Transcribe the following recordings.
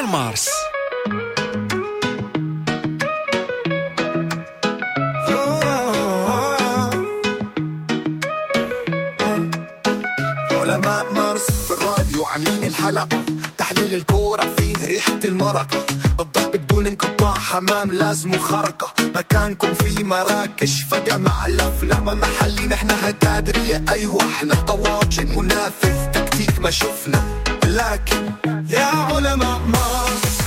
ديال مارس. علماء مارس في الراديو عاملين الحلقة، تحليل الكورة فيه ريحة المرقة، الضرب بدون انقطاع، حمام لازم خرقة، مكانكم في مراكش فجأة مع الأفلام محلي، نحن هتادرية أيوة احنا طواجن منافذ تكتيك ما شفنا، لكن يا علماء مارس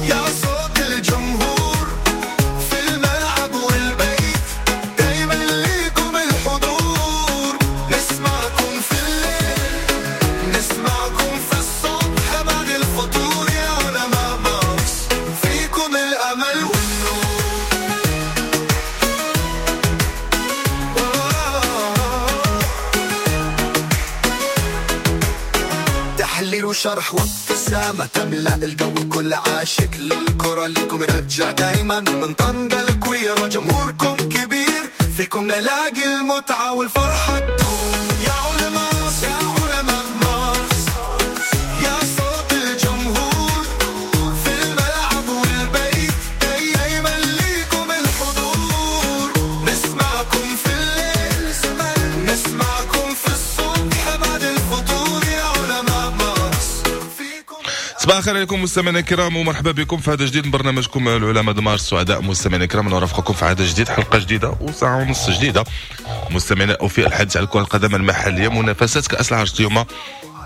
يا صوت الجمهور في الملعب والبيت، دايما ليكم الحضور، نسمعكم في الليل نسمعكم في الصبح بعد الفطور، يا علماء مارس فيكم الأمل والنور. تحليل وشرح وابتسامة تملأ الجو، كل عاشق للكرة لكم رجع دايما، من طنجة الكويرة جمهوركم كبير، فيكم نلاقي المتعة والفرحة تدوم. يا علماء يا علماء مارس يا صوت الجمهور في الملعب والبيت، دايما ليكم الحضور، نسمعكم في الليل نسمعكم في الصبح بعد الفطور، يا علماء مارس فيكم. صباح الخير عليكم مستمعينا الكرام، ومرحبا بكم في هذا جديد من برنامجكم العلماء مارس. سعداء مستمعينا الكرام نرافقكم في عدد جديد، حلقة جديدة وساعة ونص جديدة مستمعينا وفي الحديث على كره القدم المحلية، منافسات كاس العرش اليوم،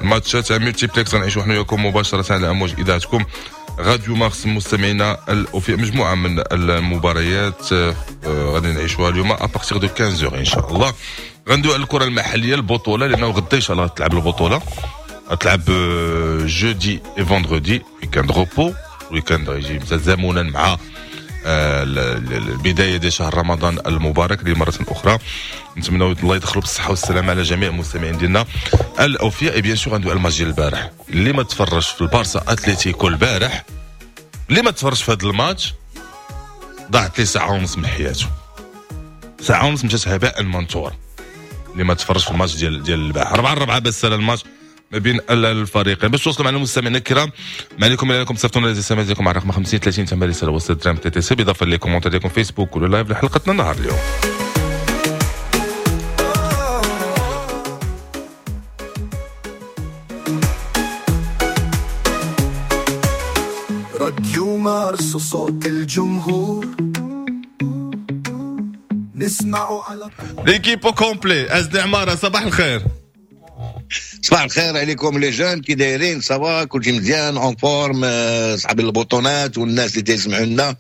ماتشات multiplex غنعيشوا حنا وياكم مباشرة على امواج اذاعتكم راديو مارس. مستمعينا الأوفياء مجموعة من المباريات غادي نعيشوها اليوم à partir de 15 ان شاء الله. غندوي على الكره المحلية، البطولة، لانه غدا ان شاء الله تلعب البطولة، تلعب jeudi et vendredi، week-end repos، week-end غيجي تزامنا مع البداية ديال شهر رمضان المبارك لمره اخرى. نتمنوا الله يدخلوا بالصحة والسلامة على جميع المستمعين ديالنا الاوفياء. bien sûr غندوي على الماتش ديال البارح، اللي ما تفرجش في البارسا اتليتيكو البارح، اللي ما تفرجش في هذا الماتش ضاعت ليه ساعة ونص من حياته، ساعة ونص مشات هباء منثورا. اللي ما تفرجش في الماتش ديال البارح 4-4 بس على الماتش ما بين الفريقين. باش توصلوا معنا المستمعين الكرام، ما عليكم الا انكم تصيفطوا لنا SMS ديالكم على الرقم 50 30 8 رسالة وسط درهم TTC، بالاضافة les commentaires ديالكم فيسبوك ولا live لحلقتنا النهار اليوم. راديو مارس صوت الجمهور نسمعوا على l'équipe au complet. ازدي عمارة صباح الخير. صباح الخير عليكم les jeunes، كي دايرين؟ ça va كلشي مزيان en forme؟ صحاب البطونات والناس اللي تيسمعوا لنا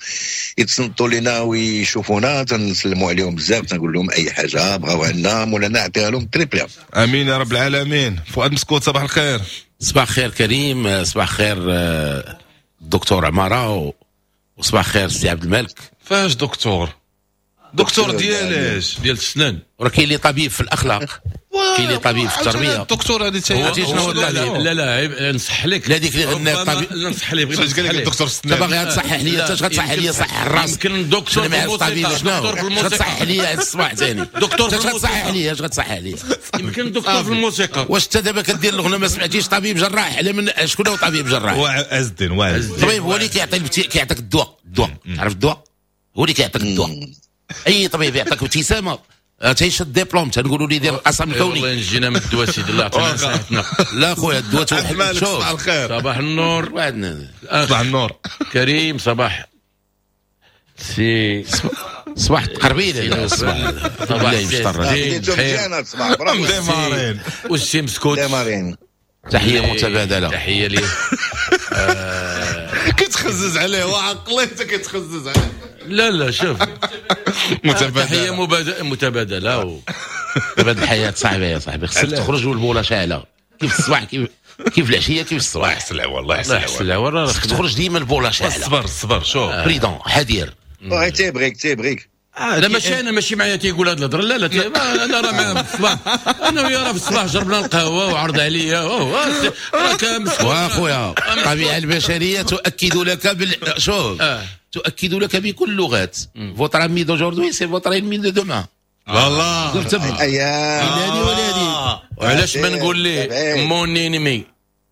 يتصنتوا لنا ويشوفونا، تنسلموا عليهم بزاف، تنقول لهم اي حاجة بغاو عندنا مولانا نعطيها لهم très bien. امين يا رب العالمين. فؤاد مسكوت صباح الخير. صباح الخير كريم، صباح الخير الدكتور عمارة، وصباح الخير سي عبد الملك. فاش دكتور؟ دكتور ديالاش؟ ديال السنان. وراه كاين اللي طبيب في الاخلاق، كاين اللي طبيب في التربية. الدكتور هذه لا لا نصح لك، لا ديك اللي غنى الطبيب. لا نصح لك، بغيت قال لك الدكتور السنان. باغي تصحح لي انت، غتصحح لي صح الراس. يمكن دكتور في الموسيقى، دكتور في الموسيقى غتصحح لي الصباح ثاني. دكتور في الموسيقى غتصحح لي، اش غتصحح لي؟ يمكن دكتور في الموسيقى. واش انت دابا كدير الاغنية ما سمعتيش طبيب جراح؟ على من شكون هو طبيب جراح؟ هو عز الدين. الطبيب هو اللي كيعطي كيعطيك الدواء. الدواء تعرف الدواء هو اللي كيعطيك الدواء. اي طبيب يعطيك ابتسامة تيشد ديبلوم، تنقولوا لي دير القسم الكوني. الله ينجينا من الدواء سيدي، الله يعطينا صحتنا. لا خويا الدواء توحد. شوف صباح الخير. صباح النور. صباح النور كريم. صباح سي صباح تقربيله. صباح صباح ديمارين والسي مسكوت. تحية متبادلة، تحية ليه. كتخزز عليه وعقليته كتخزز عليه. لا لا شوف تحية متبادلة. تبادل الحياة صعبة يا صاحبي، خصك تخرج والبوله شاعله كيف الصباح كيف العشية كيف الصباح. يحسن العوال، الله يحسن العوال. خصك تخرج ديما البوله شاعله. الصبر الصبر شوف prudent حذير. تيبغيك تيبغيك. لا ماشي انا، ماشي معايا تيقول هاد الهضرة. لا لا انا راه معاه في الصباح، انا وياه راه في الصباح جربنا القهوة وعرض عليا. راك مسكين واخويا. الطبيعة البشرية تؤكد لك شوف تؤكد لك بكل اللغات. votre ami d'aujourd'hui c'est votre ennemi de demain. والله لا ولا وعلاش ما نقول ليه mon ennemi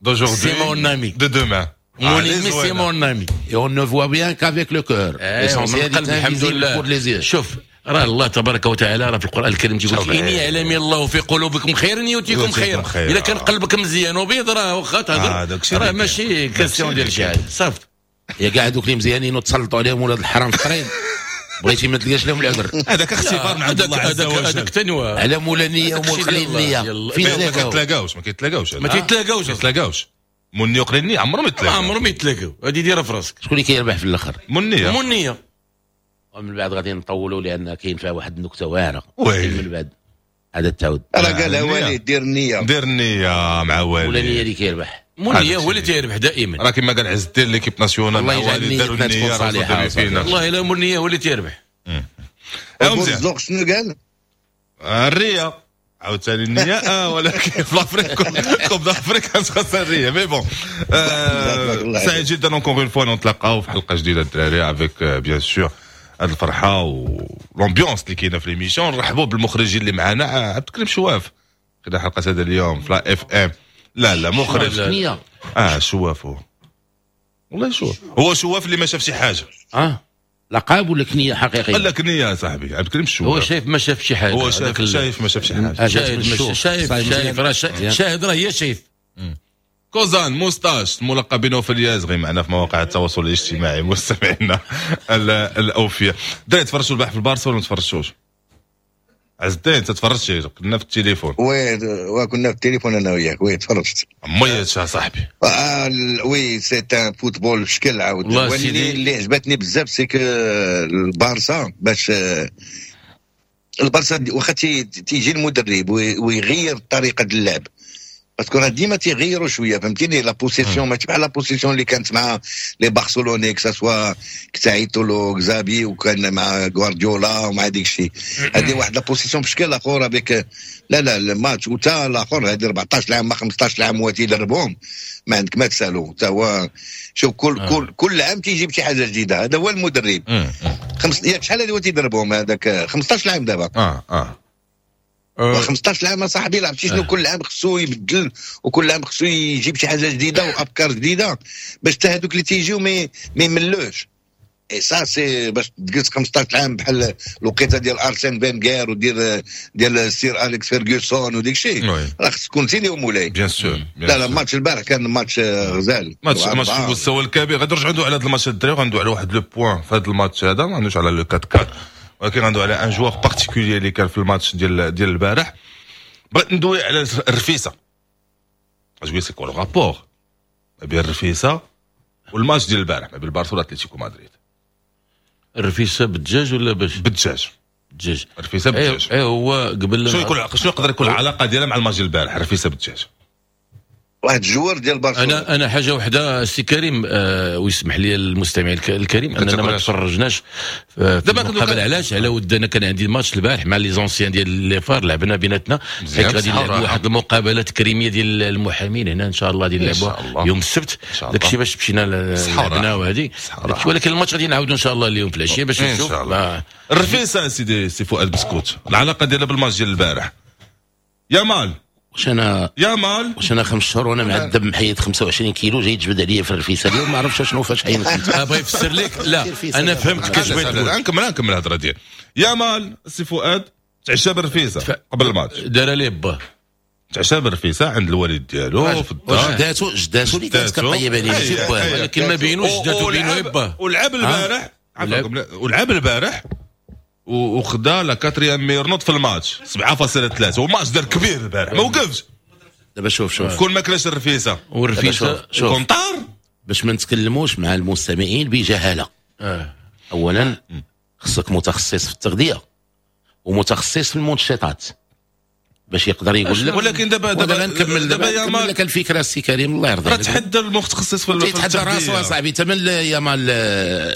d'aujourd'hui c'est mon ami de demain. mon ennemi c'est mon ami. Et on ne voit bien qu'avec le cœur. L'essentiel est invisible pour les yeux. شوف راه الله تبارك وتعالى راه في القران الكريم تيقول لك ان يعلم الله في قلوبكم خيرا يؤتيكم خيرا. الا كان قلبك مزيان وبيض راه واخا تهضر راه ماشي question ديال شي حاجة صافي. يا كاع هذوك اللي مزيانين وتسلطوا عليهم ولاد الحرام في الطريق بغيتي ما تلقاش لهم العذر. هذاك اختبار من عند الله عز وجل. هذاك تنوى على مولا النية ومول قليل النية. فين ما كيتلاقاوش ما كيتلاقاوش ما تيتلاقاوش ما كيتلاقاوش. مني وقليل النية عمرهم يتلاقاو عمرهم يتلاقاو. هذه ديرها في راسك. شكون اللي كيربح في الاخر؟ منيه منيه. ومن بعد غادي نطولوا لان كاين فيها واحد النكتة واعرة. من بعد هذا التعود راه قالها وليد دير النية دير النية مع وليد. ولا النية اللي كيربح منيه هو اللي تيربح دائما. راه كما قال عز الدين l'équipe nationale مع وليد داروا النية صالحه. والله الا منيه هو اللي تيربح. مزيان. شنو قال؟ الريه عاوتاني النية ولكن في l'Afrique Coupe d'Afrique خاصها الريه. mais bon سعيد جدا encore une fois نتلاقاو في حلقة جديدة الدراري avec bien sûr هاد الفرحة و l'ambiance اللي كاينه في l'émission. نرحبوا بالمخرجين اللي معنا عبد الكريم شواف خدا حلقة هذا اليوم في la FM. لا لا مخرج شواف هو والله شواف هو شواف اللي ما شاف شي حاجة. لقب ولا كنيه حقيقية؟ لا كنيه يا صاحبي عبد الكريم الشواف هو شايف ما شاف شي حاجة. هو شايف ما شاف شي حاجة. شايف شايف راه شاهد راه هي شايف. كوزان moustache الملقب بنوفل اليازغي معنا في مواقع التواصل الاجتماعي مستمعينا الاوفياء. دري تفرجتوا البارح في البارسا ولا ما تفرجتوش؟ عز الدين انت تفرجتي؟ كنا في التليفون. oui كنا في التليفون انا وياك. oui تفرجت. ميت يا صاحبي. oui c'est un football بشكل عاود. اللي عجبتني بزاف c'est que البارسا باش البارسا واخا تيجي المدرب ويغير طريقه اللعب parce que راه ديما تيغيروا شوية فهمتيني. la possession ماشي بحال la possession اللي كانت مع les Barcelonais que ce soit كتعيطوا له Xavi وكان مع غوارديولا ومع ديك الشيء. هذه واحد la possession بشكل اخر avec لا لا الماتش وتا الاخر هذه 14 عام ما 15 عام هو تيدربهم ما عندك ما تسالو حتى هو. شوف كل كل عام تيجيب شي حاجة جديدة. هذا هو المدرب. ياك شحال هذه هو تيدربهم هذاك 15 عام دابا. 15 عام صاحبي لعبتي شنو كل عام خصو يبدل وكل عام خصو يجيب شي حاجة جديدة وافكار جديدة باش حتى هذوك اللي تيجيو ما يملوش. et ça c'est باش تجلس 15 عام بحال الوقيته ديال ارسين فينغير وديال ديال سير اليكس فيرغسون وديك الشيء راه خص تكون سيدي ومولاي bien sûr. لا لا ماتش البارح كان ماتش غزال ماتش في المستوى الكبير. غادي نرجعوا على هذا الماتش الدراري وغندوي على واحد le point في هذا الماتش هذا ما عندوش على le 4-4 ولكن عنده على un joueur particulier اللي كان في الماتش ديال البارح. بغيت ندوي على الرفيسه. اش c'est quoi le rapport ما بين الرفيسه والماتش ديال البارح ما بين البارسا واتليتيكو مدريد؟ الرفيسه بالدجاج ولا باش؟ بالدجاج. الدجاج الرفيسه بالدجاج. اي هو قبل شنو يقدر يكون العلاقة ديالها مع الماتش ديال البارح الرفيسه بالدجاج؟ واحد ال joueur ديال برشلونة. انا حاجة وحده سي كريم ويسمح لي المستمع الكريم اننا ما تفرجناش دابا قبل. علاش؟ على ود انا كان عندي ماتش البارح مع les anciens ديال les FAR لعبنا بيناتنا حيت غادي نلعبوا واحد المقابلة تكريميه ديال المحامين هنا ان شاء الله غادي نلعبوها يوم السبت. داكشي باش مشينا لعبنا وهذه. ولكن الماتش غادي نعاودوا ان شاء الله اليوم في العشية باش نشوف الرفيسه. سيدي سي فؤاد بسكوت العلاقة ديالها بالماتش ديال البارح. يا واش انا يا مال واش انا 5 شهور وانا معذب محيد 25 كيلو جاي تجبد عليا في الرفيسه اليوم ما عرفتش شنو فاش حين. بغا يفسر لك. لا انا فهمت كاش بغيت تقول. نكمل الهضرة ديالي. يا مال سي فؤاد تعشى بالرفيسه قبل الماتش دار ليه با تعشى بالرفيسه عند الوالد ديالو في الدار. جداتو اللي كانت كطيب عليه ماشي باه ولكن ما بينوش جداتو بينو با. ولعب البارح عفاكم ولعب البارح وخدا la quatrième meilleure note في الماتش 7.3 وماتش دار كبير البارح ما وقفش. دابا شوف كون ما كلاش الرفيسه والرفيسه كون طار. باش ما نتكلموش مع المستمعين بجهالة. اولا خصك متخصص في التغذية ومتخصص في المنشطات باش يقدر يقول لك. ولكن دابا نكمل دابا لك الفكرة السي كريم الله يرضى عليك. تحدى المتخصص في تحدى راسو اصاحبي. تمن يا مال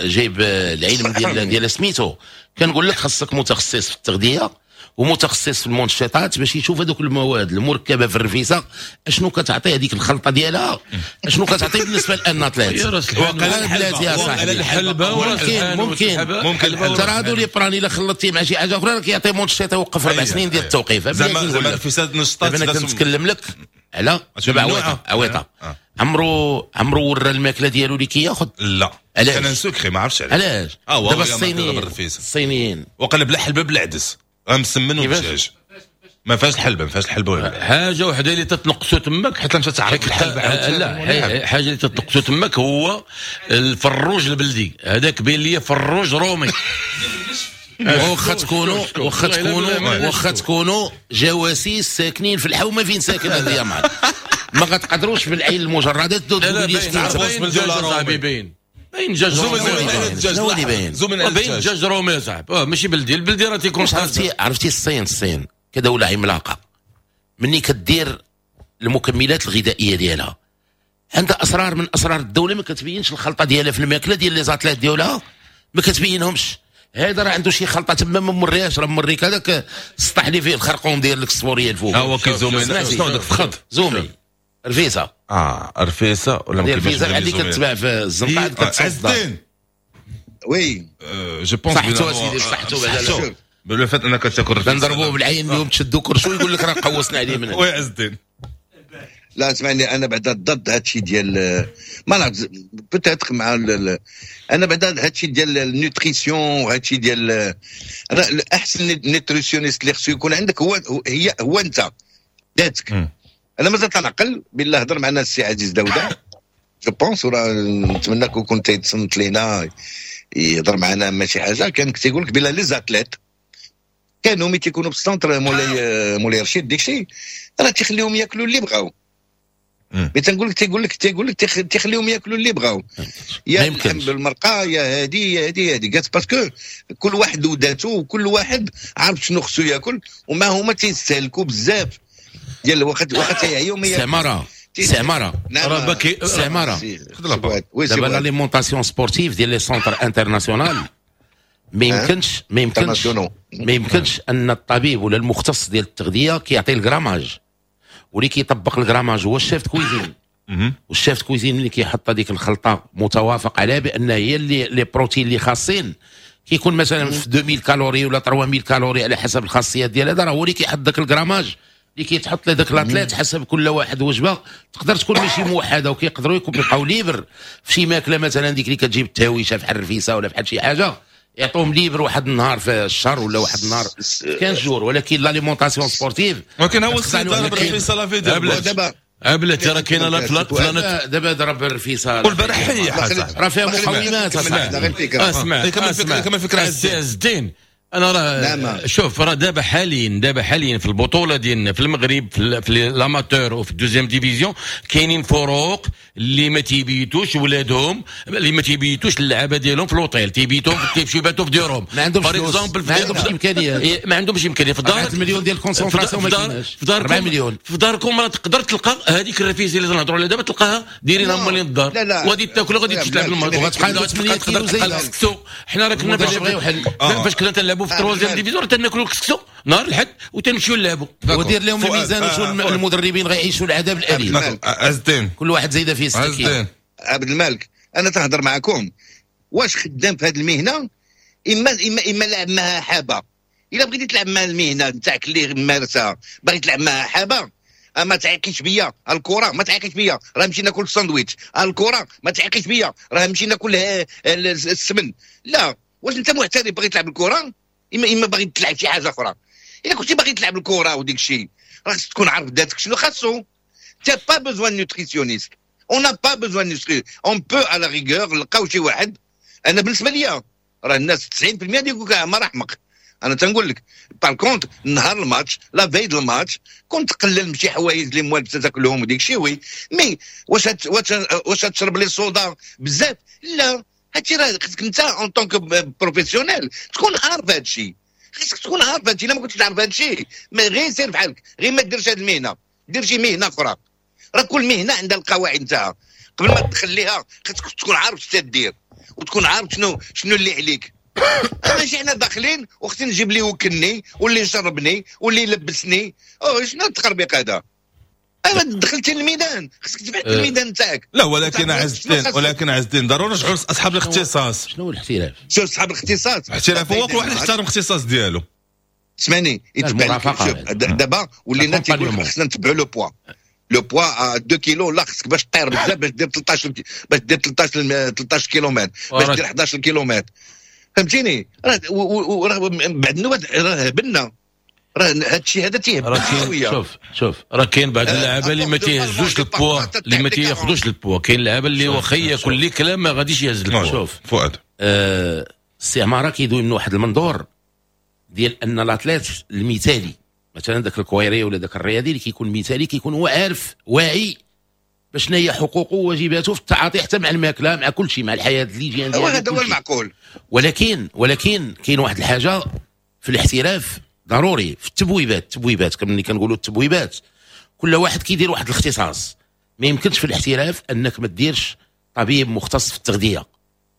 جايب العلم ديال سميتو. كنقول لك خصك متخصص في التغذية ومتخصص في المنشطات باش يشوف هذوك المواد المركبة في الرفيسه اشنو كتعطي هذيك الخلطة ديالها اشنو كتعطي بالنسبة ل un athlète. وقال يا صاحبي الحلبة ممكن ترى هادو les prans الا خلطتي مع شي حاجة اخرى راه كيعطي منشط يوقف 4 سنين ديال التوقيف. زعما الرفيسه نشطات. انا كنتكلم لك على دابا عويطه عمرو ورا الماكلة ديالو اللي كياخذ. لا علاش؟ كان secret ما عرفتش علاش. دابا الصينيين وقال بلا حلبة بالعدس مسمن ودجاج، ما فيهاش الحلبة، ما فيهاش الحلبة ولا حاجة وحده اللي تتنقصو تماك حتى مشات تعرف الحلبة. لا حاجة اللي تتنقصو تماك هو الفروج البلدي، هذاك بين لي فروج رومي. واخا تكونوا واخا تكونوا جواسيس ساكنين في الحومه فين ساكن هذا يا معلم، ما غتقدروش بالعين المجردة تقولوا لي باين باين دجاج رومي، باين دجاج رومي يا صاحبي، ماشي بلدي. البلدي راه تيكون. عرفتي الصين كدولة عملاقة مني كدير المكملات الغذائية ديالها عندها أسرار من أسرار الدولة، ما كتبينش الخلطة ديالها في الماكلة ديال les athlètes ديالها، ما كتبينهمش. هذا راه عنده شي خلطة تما ما موريهاش، راه موريك هذاك السطح اللي فيه الخرقوم ديال الصفورية الفوق. ها هو كيزومي شنو هذاك فخد زومي رفيسة. رفيسة ولا ما كيفاش رفيسة اللي كتباع في الزنقة كتصدر. oui je pense صحتو اسيدي صحتو بعدا بلو فات انك تاكل رفيسة نضربوه بالعين اليوم تشدو كرشو يقول لك راه قوصنا عليه من oui عز الدين. لا اسمعني، انا بعدا ضد هادشي ديال ما نعرف peut-être مع انا بعدا هادشي ديال ال nutrition وهادشي ديال انا احسن nutritionniste اللي خصو يكون عندك هو هي هو انت ذاتك. انا مازال تنعقل بالله هضر معنا السي عزيز داوده je pense، وراه نتمنى كون تيتصنت لينا يهضر معنا ما شي حاجة. كان تيقول لك بلا les athlètes كانوا ملي تيكونوا في ال centre مولاي رشيد ديك الشيء راه تيخليهم ياكلوا اللي بغاو. mais تنقول لك تيقول لك تيخليهم ياكلوا اللي بغاو، يا اللحم بالمرقه يا هادي يا هادي يا هادي، قالت parce que كل واحد وداتو وكل واحد عارف شنو خصو ياكل، وما هما تيستهلكوا بزاف ديال الوقت واخا تيعيو. سماره سماره سماره دابا l'alimentation sportive ديال les centres internationaux ما يمكنش ما يمكنش ما يمكنش ان الطبيب ولا المختص ديال التغذية كيعطي ال grammage، واللي كيطبق ال grammage هو ال chef cuisine. وال chef cuisine اللي كيحط هذيك الخلطة متوافق عليها بان هي اللي les protéines اللي خاصين كيكون مثلا في 2000 calories ولا 3000 calories على حسب الخاصيات ديال هذا، راه هو اللي كيحط ذاك ال grammage اللي كيتحط لذاك l'athlète حسب كل واحد وجبة تقدر تكون ماشي موحدة، وكيقدروا يبقاو libres في شي ماكله مثلا ديك اللي كتجيب التهويشه بحال الرفيسه ولا بحال شي حاجة، يعطوهم libre واحد النهار في الشهر ولا واحد النهار 15 jours. ولكن l'alimentation sportive ولكن هو السيد ضرب الرفيسه لا في دابا بلاتي راه كاينه لا دابا ضرب الرفيسه والبارح حيح راه فيها مقومات. اسمع كمل فكرة عز الدين. انا راه شوف راه دابا حاليا في البطولة ديالنا في المغرب في l'amateur وفي ال deuxième division كاينين فروق اللي ما تيبيتوش ولادهم، اللي ما تيبيتوش اللعابه ديالهم في l'hôtel، تيبيتوهم كيمشيو يباتوا في ديورهم. ما عندهمش ما عندهمش امكانيات، ما عندهمش امكانية في الدار. 4 مليون ديال ال concentration ما كايناش في داركم، 4 مليون في داركم راه تقدر تلقى هذيك الرفيسه اللي تنهضروا عليها دابا تلقاها دايرينها مالين الدار، وغادي تاكل وغادي تلعب الماتش وغتبقى 8 كيلو زايدة. حنا راه كنا فاش كنا تنلعبوا في troisième division تناكلوا الكسكسو نهار الحد وتنمشيو نلعبوا. ودير لهم الميزان وشو المدربين غيعيشوا العذاب الاليم. عز الدين كل واحد زايدة فيه 6 كيلو. عبد الملك انا تهضر معكم واش خدام في هذه المهنة اما اما اما لعب معها حابة. الا بغيتي تلعب مع المهنة نتاعك اللي مارسها، باغي تلعب معها حابة، ما تعيقيش بيا الكره، ما تعيقيش بيا راه نمشي ناكل الساندويتش، الكره ما تعيقيش بيا راه نمشي ناكل السمن. لا، واش انت محترف باغي تلعب الكره اما باغي تلعب شي حاجة اخرى؟ الا كنتي باغي تلعب الكره وديك الشيء راه خصك تكون عارف ذاتك شنو خاصو. t'as pas besoin nutritionniste، on n'a pas besoin nutritionniste، on peut à la rigueur نلقاو شي واحد. انا بالنسبة ليا راه الناس 90% يقول لك ما راه احمق. انا تنقول لك par contre نهار الماتش la veille الماتش كنت تقلل من شي حوايج اللي موالف تاكلهم وديك الشيء oui، mais واش تشرب les sodas بزاف؟ لا، هادشي راه خصك انت en tant que professionnel تكون عارف هادشي، خصك تكون عارف هادشي. الا ما كنتش عارف هادشي ما غير سير بحالك، غير ما ديرش هاد المهنة، دير شي مهنة اخرى. راه كل مهنة عندها القواعد نتاعها، قبل ما تدخل ليها خصك تكون عارف شنو تدير وتكون عارف شنو اللي عليك. ماشي حنا داخلين وخصني نجيب اللي يوكلني واللي يشربني واللي يلبسني، او شنو التخربيق هذا؟ انا دخلتي للميدان خصك تبحث الميدان تاعك. لا ولكن عز الدين، ولكن عز الدين ضروري نرجعوا لاصحاب الاختصاص. شنو هو الاحتراف؟ شوف اصحاب الاختصاص، الاحتراف هو كل واحد يحترم الاختصاص ديالو. اسمعني، يتبع دابا ولينا تيقول خصنا نتبعوا le poids. le poids 2 كيلو، لا خصك باش طير بزاف باش دير 13، باش دير 13 كيلومتر، باش دير 11 كيلومتر، فهمتيني؟ راه بعد النوبات راه هبلنا، راه هذا الشيء هذا تيهبل. شوف شوف راه كاين بعض اللعابه اللي ما تيهزوش البوا، اللي ما تياخذوش البوا، كاين اللعابه اللي واخا ياكل لي كلام ما غاديش يهز البوا. شوف فؤاد، السي عمارة كيدوي من واحد المنظور ديال ان l'athlète المثالي مثلا ذاك الكويري ولا ذاك الرياضي اللي كيكون مثالي كيكون هو عارف واعي باش شنو هي حقوقه وواجباته في التعاطي، حتى مع الماكله، مع كل شيء، مع الحياة اللي ديالو. هذا هو المعقول. ولكن كاين واحد الحاجة في الاحتراف ضروري في التبويبات، التبويبات كما ملي كنقولوا التبويبات كل واحد كيدير واحد الاختصاص. ما يمكنش في الاحتراف انك ما ديرش طبيب مختص في التغذية،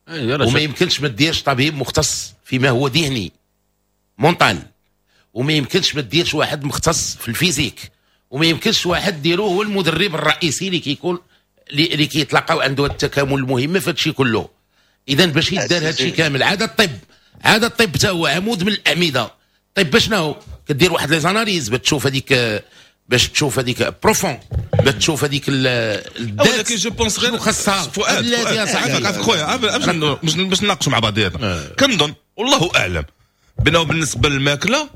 وما يمكنش ما ديرش طبيب مختص فيما هو ذهني mental، وما يمكنش ما ديرش واحد مختص في ال physique، وما يمكنش واحد ديرو هو المدرب الرئيسي اللي كيكون اللي كيتلاقاو عنده التكامل المهم في هادشي كله. اذا باش يدار هادشي كامل، عاد الطب، عاد الطب حتى هو عمود من الاعمدة. الطب باش شنو كدير واحد les analyses باش تشوف هذيك، باش تشوف هذيك profond، باش تشوف هذيك الذات. ولكن je pense غير خاصها فؤاد عافاك خويا، باش نناقشوا مع بعضياتنا. كنظن والله اعلم بانه بالنسبة للماكله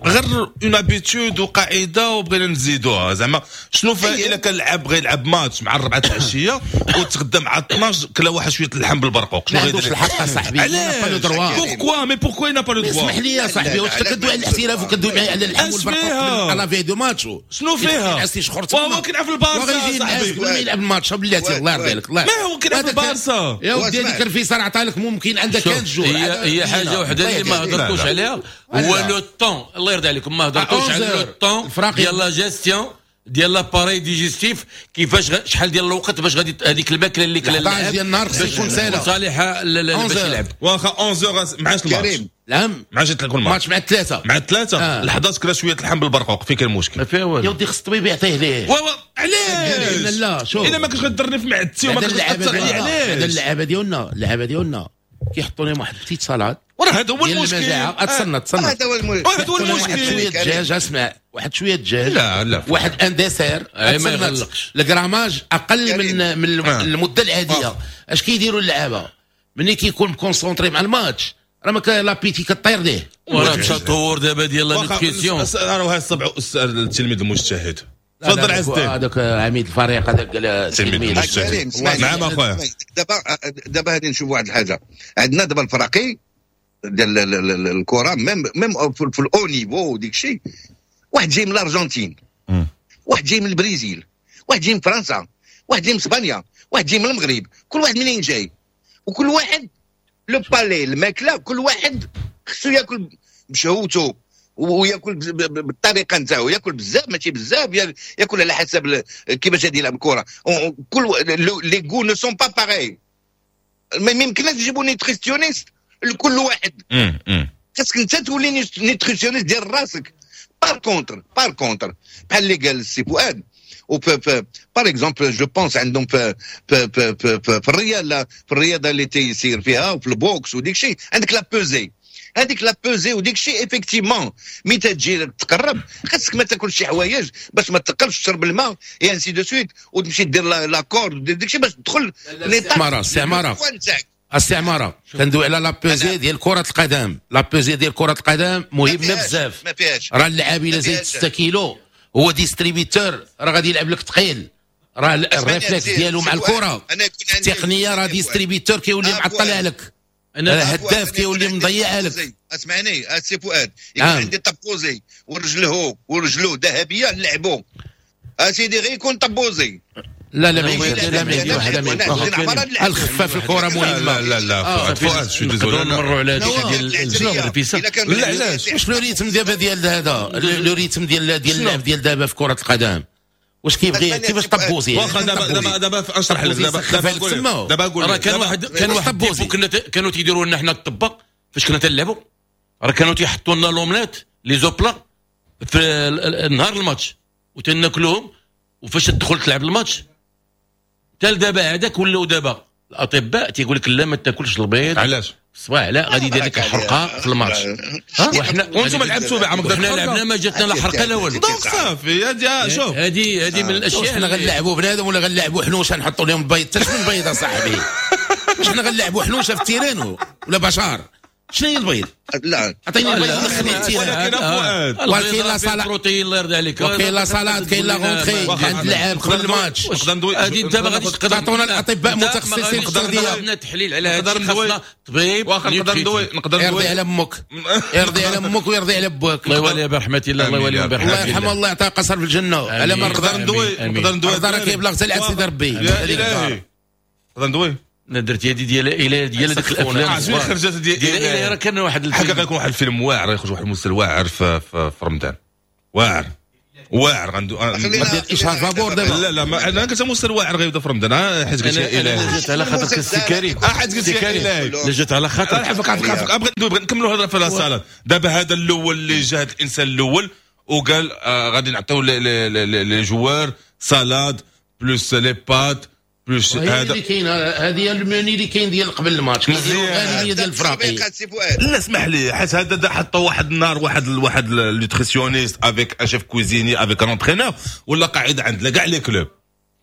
غير une habitude وقاعدة وبغينا نزيدوها. زعما شنو فيها الا كان لعب بغى يلعب ماتش مع 4 العشية وتغدى مع 12 كلا واحد شوية اللحم بالبرقوق، شنو غيدير؟ الحق اصاحبي، علاش؟ pourquoi mais pourquoi n'a pas le droit؟ اسمح لي يا صاحبي، واش كدوي على الاحتراف وكدوي معايا على اللحم والبرقوق على veille de match؟ شنو فيها؟ وهو كيلعب في البارسا صاحبي، قبل ما يلعب الماتش بلاتي الله يرضي عليك. ما هو كيلعب في البارسا يا ودي، هذيك الرفيسه راه عطالك ممكن عندك 15 jours. هي حاجة وحده اللي ما هضرتوش عليها هو le temps، الله يرضي عليكم ما هضرتوش على le temps ديال la gestion ديال l'appareil digestif، كيفاش شحال ديال الوقت باش غادي هذيك الماكلة اللي كلا اللاعب ديال النهار خص يكون ساهله صالحه باش يلعب. واخا 11 معاش الماتش؟ نعم معاش تلعب الماتش مع 3، مع 3 ل11 كلا شوية اللحم بالبرقوق، فين كاين المشكل؟ ما فيها والو يا ودي، خص الطبيب يعطيه ليه. علاش؟ لا شوف، الا ما كنتش غدرني في معدتي وما كنتش غتاثر عليا، علاش؟ اللعابه ديالنا، اللعابه ديالنا كيحطوا لهم واحد petite salade، وراه هذا هو المشكل. تصنت هذا هو المشكل. هذا هو المشكل. واحد شوية دجاج، اسمع، واحد شوية دجاج، لا لا، واحد un dessert، ما يغلقش ال grammage اقل من المدة العادية. اش كيديروا اللعابه ملي كيكون concentré مع الماتش؟ راه ما l'appétit كطير ليه. وراه التطور دابا ديال la nutrition. راه السبع التلميذ المجتهد. تفضل عز الدين. هذاك عميد الفريق هذاك قال التلميذ المجتهد. نعم اخويا. دابا غادي نشوف واحد الحاجة، عندنا دابا الفراقي ديال الكره même في ال haut niveau وديك الشيء، واحد جاي من الارجنتين، واحد جاي من البرازيل، واحد جاي من فرنسا، واحد جاي من اسبانيا، واحد جاي من المغرب، كل واحد منين جاي، وكل واحد le palais الماكلة، كل واحد خصو ياكل بشهوته وياكل بالطريقة نتاعو، ياكل بزاف ماشي بزاف، ياكل على حسب كيفاش غادي يلعب الكره. كل les goûts ne sont pas pareils، ما يمكنش تجيبوا nutritionniste لكل واحد، خاصك انت تولي nutritionniste ديال راسك. par contre بحال اللي قال السي فؤاد، par exemple je pense عندهم في في في في, في الرياضة، في الرياضة اللي تيسير فيها وفي ال boxe وديك الشيء، عندك la pesée، هذيك la pesée وديك الشيء effectivement ملي تجي تقرب خاصك ما تاكلش شي حوايج باش ما تقربش، تشرب الماء et ainsi de suite، وتمشي دير la corde ودير ديك الشيء باش تدخل l'état. السي عمارة كندوي على la pesée ديال كرة القدم، la pesée ديال كرة القدم مهمة بزاف. راه اللاعب الا زايد 6 كيلو هو distributeur، راه غادي يلعب لك ثقيل، راه ال réflexe ديالو مع الكرة التقنية، راه distributeur كيولي معطل عليك، هداف كيولي مضيع عليك. اسمعني السي فؤاد، يكون عندي طبوزي ورجله ذهبية نلعبو اسيدي، غير يكون طبوزي. لا لا لا لا، الخفة في الكره مهمة. لا لا فؤاد شو désolé، نمروا على هذيك ديال الرفيسه. لا علاش؟ واش le rythme دابا ديال هذا le rythme ديال اللعب ديال دابا في كره القدم واش كيبغي كيفاش طبوزي؟ واخا دابا دابا اشرح لك دابا دابا قول. راه كان واحد كانوا تيديروا لنا حنا الطباق فاش كنا تنلعبوا، راه كانوا تيحطوا لنا l'omelette les œufs plats في النهار الماتش وتناكلوهم، وفاش تدخل تلعب الماتش حتى دابا هذاك ولاو دابا الاطباء تيقول لك لا ما تاكلش البيض. علاش؟ الصباح لا غادي يدير لك الحرقة في الماتش. وحنا وانتم لعبتوا بها عمرك حنا لعبنا ما جاتنا لا حرقه لا والو. donc صافي هذه شوف هذه من الاشياء. حنا غنلعبوا بنادم ولا غنلعبوا حنوشه نحطوا لهم البيض؟ حتى شنو البيض اصاحبي؟ واش حنا غنلعبوا حنوشه في ال terrain ولا بشار؟ شنو هي البيض؟ لا عطيني البيض دخلني ال terrain. ولكن فؤاد ولكن la salade بروتين الله يرضي عليك، وكاين la salade، كاين la rentrée عند اللاعب قبل الماتش. هذه انت ما غاديش تقدر تعطونا الاطباء متخصصين في التغذية. عندنا تحليل على هذا الشيء، خاصنا طبيب. واخا نقدر ندوي، نقدر ندوي. يرضي على امك، يرضي على امك ويرضي على باك. الله يوليها برحمة الله، الله يوليها برحمة الله يرحمه، الله يعطيه قصر في الجنة. على ما نقدر ندوي، نقدر ندوي. راه كيبلغ حتى لعند سيدي ربي. نقدر ندوي. انا درت يدي ديال الى ديال ديك الافلام شنو خرجت ديال الى راه كان واحد الحقيقة غيكون واحد الفيلم واعر، يخرج واحد المسلسل واعر في رمضان، واعر واعر. غندو دير اشهار فابور دابا. لا لا ما انا كنت مسلسل واعر غيبدا في رمضان، حيت قلت يا الهي جات على خاطر السي كريم، حيت قلت يا الهي لا جات على خاطر. عفاك عفاك بغيت ندوي، نكملوا الهضرة في la salade. دابا هذا الاول اللي جا، هذا الانسان الاول وقال غادي نعطيو les joueurs salade plus les pâtes plus هذا اللي كاين، هذه هي الموني اللي كاين ديال قبل الماتش، كيديروا غالبية ديال الفراقي. لا اسمح لي، حيت هذا حطوا واحد النهار واحد nutritionniste avec un chef cuisinier avec un entraîneur ولا قاعد عند كاع les clubs،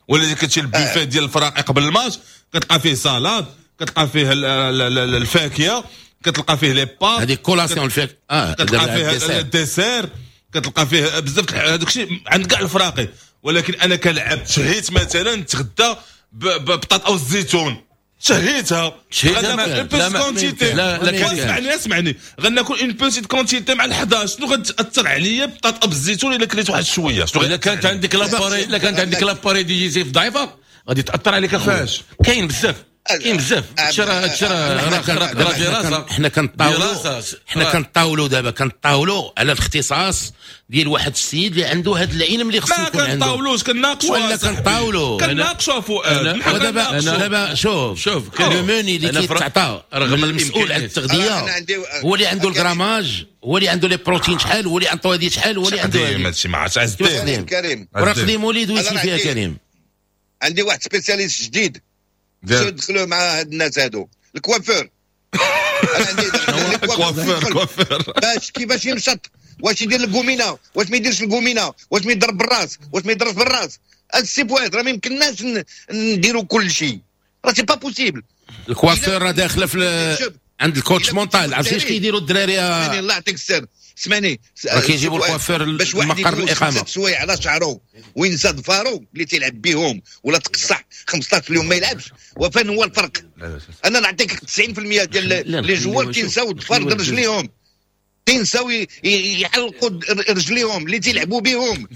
ولا كتمشي البوفيه ديال الفراقي قبل الماتش كتلقى فيه salade، كتلقى فيه الفاكهة، كتلقى فيه les pâtes، هذيك collation الفاكهة، كتلقى فيه ال dessert، كتلقى فيه بزاف هذاك الشيء عند كاع الفراقي. ولكن انا كلعب شهيت مثلا نتغدى ببطاطا او الزيتون، شهيتها غناكل une petite quantité. لا لا اسمعني اسمعني، غناكل une petite quantité مع ال11، شنو غتاثر عليا بطاطا بالزيتون الا كليت واحد شوية؟ شنو الا كانت عندك l'appareil، الا كانت عندك l'appareil digestif ضعيفة غادي تاثر عليك اخويا. كاين بزاف، كاين بزاف. هادشي راه دراسة. حنا كنطاولوا دابا، كنطاولوا على الاختصاص ديال واحد السيد اللي عنده هذا العلم اللي خصو يكون عنده. ما كنطاولوش، كنناقشوا ولا كنطاولوا، كنناقشوا فؤاد. دابا شوف le menu اللي كيتعطى رغم المسؤول على التغذية هو اللي عنده ال grammage، هو اللي عنده les protéines شحال، هو اللي عنده هذه شحال، هو اللي عنده هذه. هادشي ما عرفتش عز الدين كريم. راه قديم وليد ويسي فيها كريم. عندي واحد spécialiste جديد دخلوا مع هاد الناس هادو، الكوافير. انا عندي coiffeur، coiffeur باش كيفاش يمشط، واش يدير الكومينه، واش ما يديرش الكومينه، واش ما يضرب بالراس، واش ما يضربش بالراس. هاد السي فؤاد راه ما يمكنناش نديروا كل شيء، راه c'est pas possible. ال coiffeur راه داخله في عند ال coach mental. عرفتي اش كيديروا الدراري؟ الله يعطيك السر. اسمعني، راه كيجيبوا الكوافير لمقر الاقامة سوايع على شعره وينسى ظفارو اللي تيلعب بهم، ولا تقصح 15 يوم ما يلعبش. وفين هو الفرق؟ انا نعطيك 90% ديال les joueurs تينساو ظفار رجليهم، تينساو يحلقوا رجليهم اللي تيلعبوا بهم،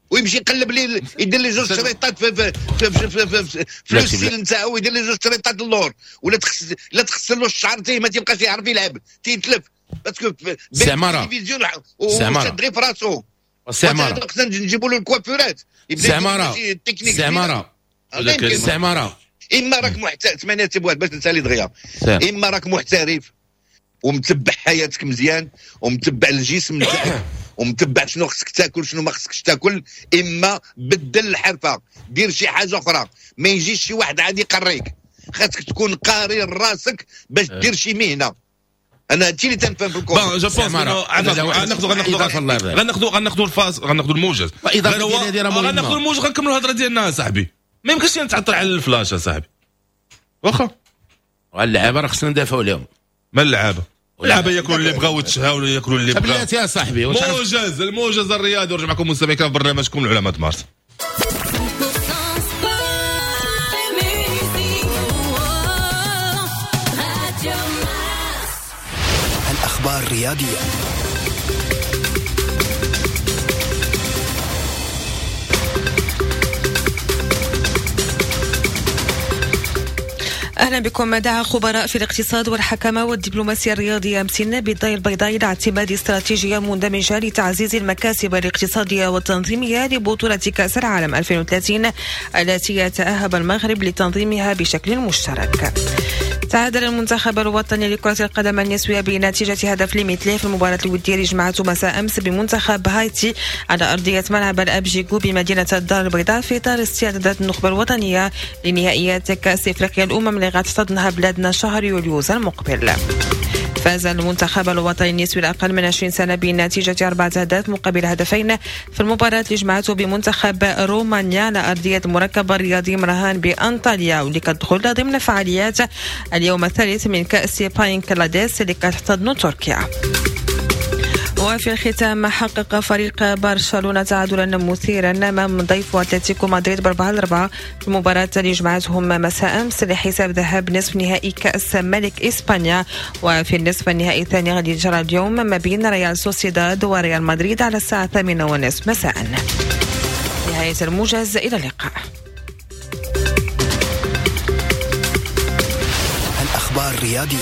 ويمشي يقلب لي يدير لي جوج شريطات في في في في في, في ال style نتاعو، ويدير لي جوج شريطات اللور، ولا لا تخسر له الشعر تيه ما تيبقاش يعرف يلعب، تيتلف parce que سماره سماره غير في راسو. سماره خصنا نجيبوا له الكوافورات. سماره سماره سماره. اما راك محترف 8 سبوات باش نسالي دغيا، اما راك محترف ومتبع حياتك مزيان ومتبع الجسم نتاعك ومتبع شنو خصك تاكل شنو ما خصكش تاكل، اما بدل الحرفة، دير شي حاجة اخرى. ما يجيش شي واحد عادي يقريك، خاصك تكون قاري راسك باش دير شي مهنة. انا هادشي اللي تنفهم في الكره. bon je pense غناخذوا غناخذوا الفاس، غناخذوا الموجز، غناخذوا الموجز، غنكملوا الهضرة ديالنا صاحبي. ما يمكنش نتعطل على الفلاش اصاحبي. واخا اللعابه راه خصنا ندافعوا عليهم. ما اللعابه؟ اللعابه ياكلوا اللي بغاو ويتشهاو ولا ياكلوا اللي بغاو. بلاتي يا صاحبي. موجز، الموجز الرياضي. ورجع معكم مستمعين في برنامجكم العلماء مارس. الأخبار الرياضية. أهلا بكم. دعا خبراء في الاقتصاد والحكامة والدبلوماسية الرياضية أمس بالدار البيضاء إلى اعتماد استراتيجية مندمجة لتعزيز المكاسب الاقتصادية والتنظيمية لبطولة كأس العالم 2030 التي يتأهب المغرب لتنظيمها بشكل مشترك. تعادل المنتخب الوطني لكرة القدم النسوية بنتيجة هدف لمثله في المباراة الودية اللي جمعته مساء أمس بمنتخب هايتي على أرضية ملعب الأبجيكو بمدينة الدار البيضاء في إطار استعدادات النخبة الوطنية لنهائيات كأس إفريقيا الأمم اللي غتحتضنها بلادنا شهر يوليوز المقبل. فاز المنتخب الوطني النسوي الأقل من 20 سنة بنتيجة 4 أهداف مقابل هدفين في المباراة اللي جمعته بمنتخب رومانيا على أرضية المركب الرياضي مرهان بأنطاليا، واللي كتدخل ضمن فعاليات اليوم الثالث من كأس باينكلاديس اللي كتحتضن تركيا. وفي الختام حقق فريق برشلونة تعادلا مثيرا امام ضيفه اتلتيكو مدريد 4-4 في المباراة اللي جمعتهم مساء امس لحساب ذهاب نصف نهائي كأس ملك اسبانيا. وفي النصف النهائي الثاني غادي يجرى اليوم ما بين ريال سوسيداد وريال مدريد على الساعة 8:30 مساء. نهاية الموجز، الى اللقاء. الأخبار الرياضية.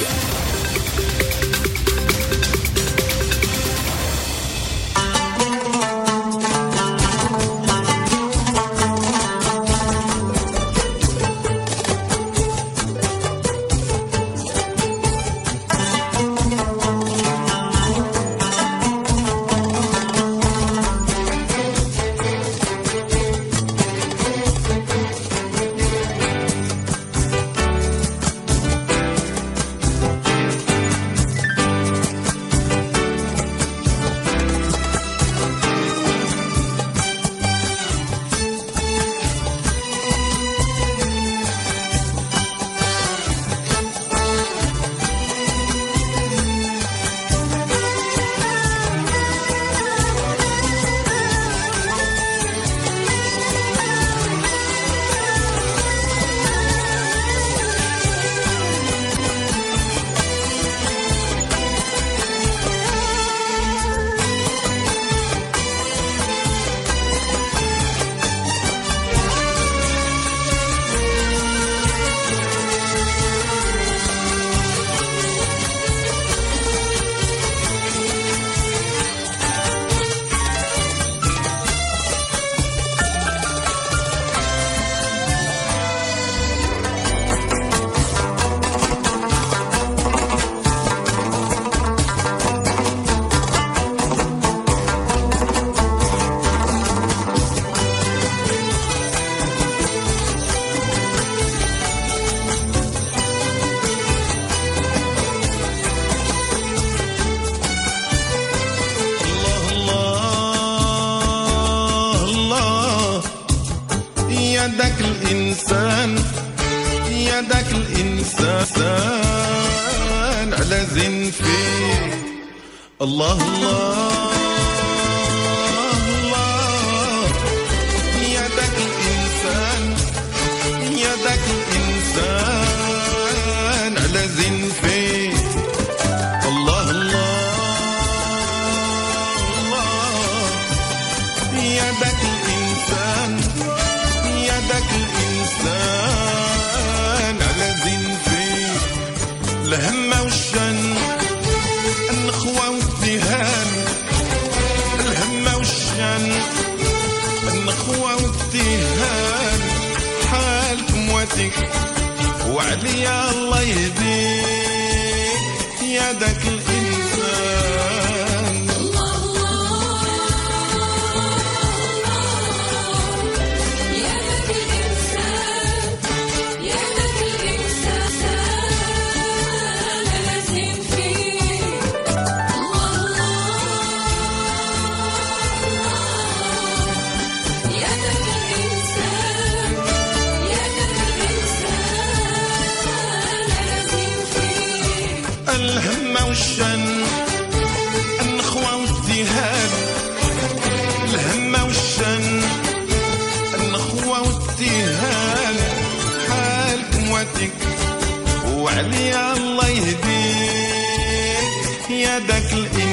الله الله الله يا ذاك الإنسان، يا ذاك الإنسان على زين فيه. الله الله الله يا ذاك الإنسان، يا ذاك الإنسان على زين فيه. الهمة والشن، النخوة والدهان، الهمة والشان، النخوة والدهان، حالك مواتيك وعليا الله يهديك يا ذاك الإنسان. الله الله يا ذاك الإنسان، يا ذاك الإنسان لازم فيه. الهمة والشن، النخوة والدهان، الهمة والشن، النخوة والدهان، حالك مواتيك وعليا الله يهديك يا ذاك الإنسان.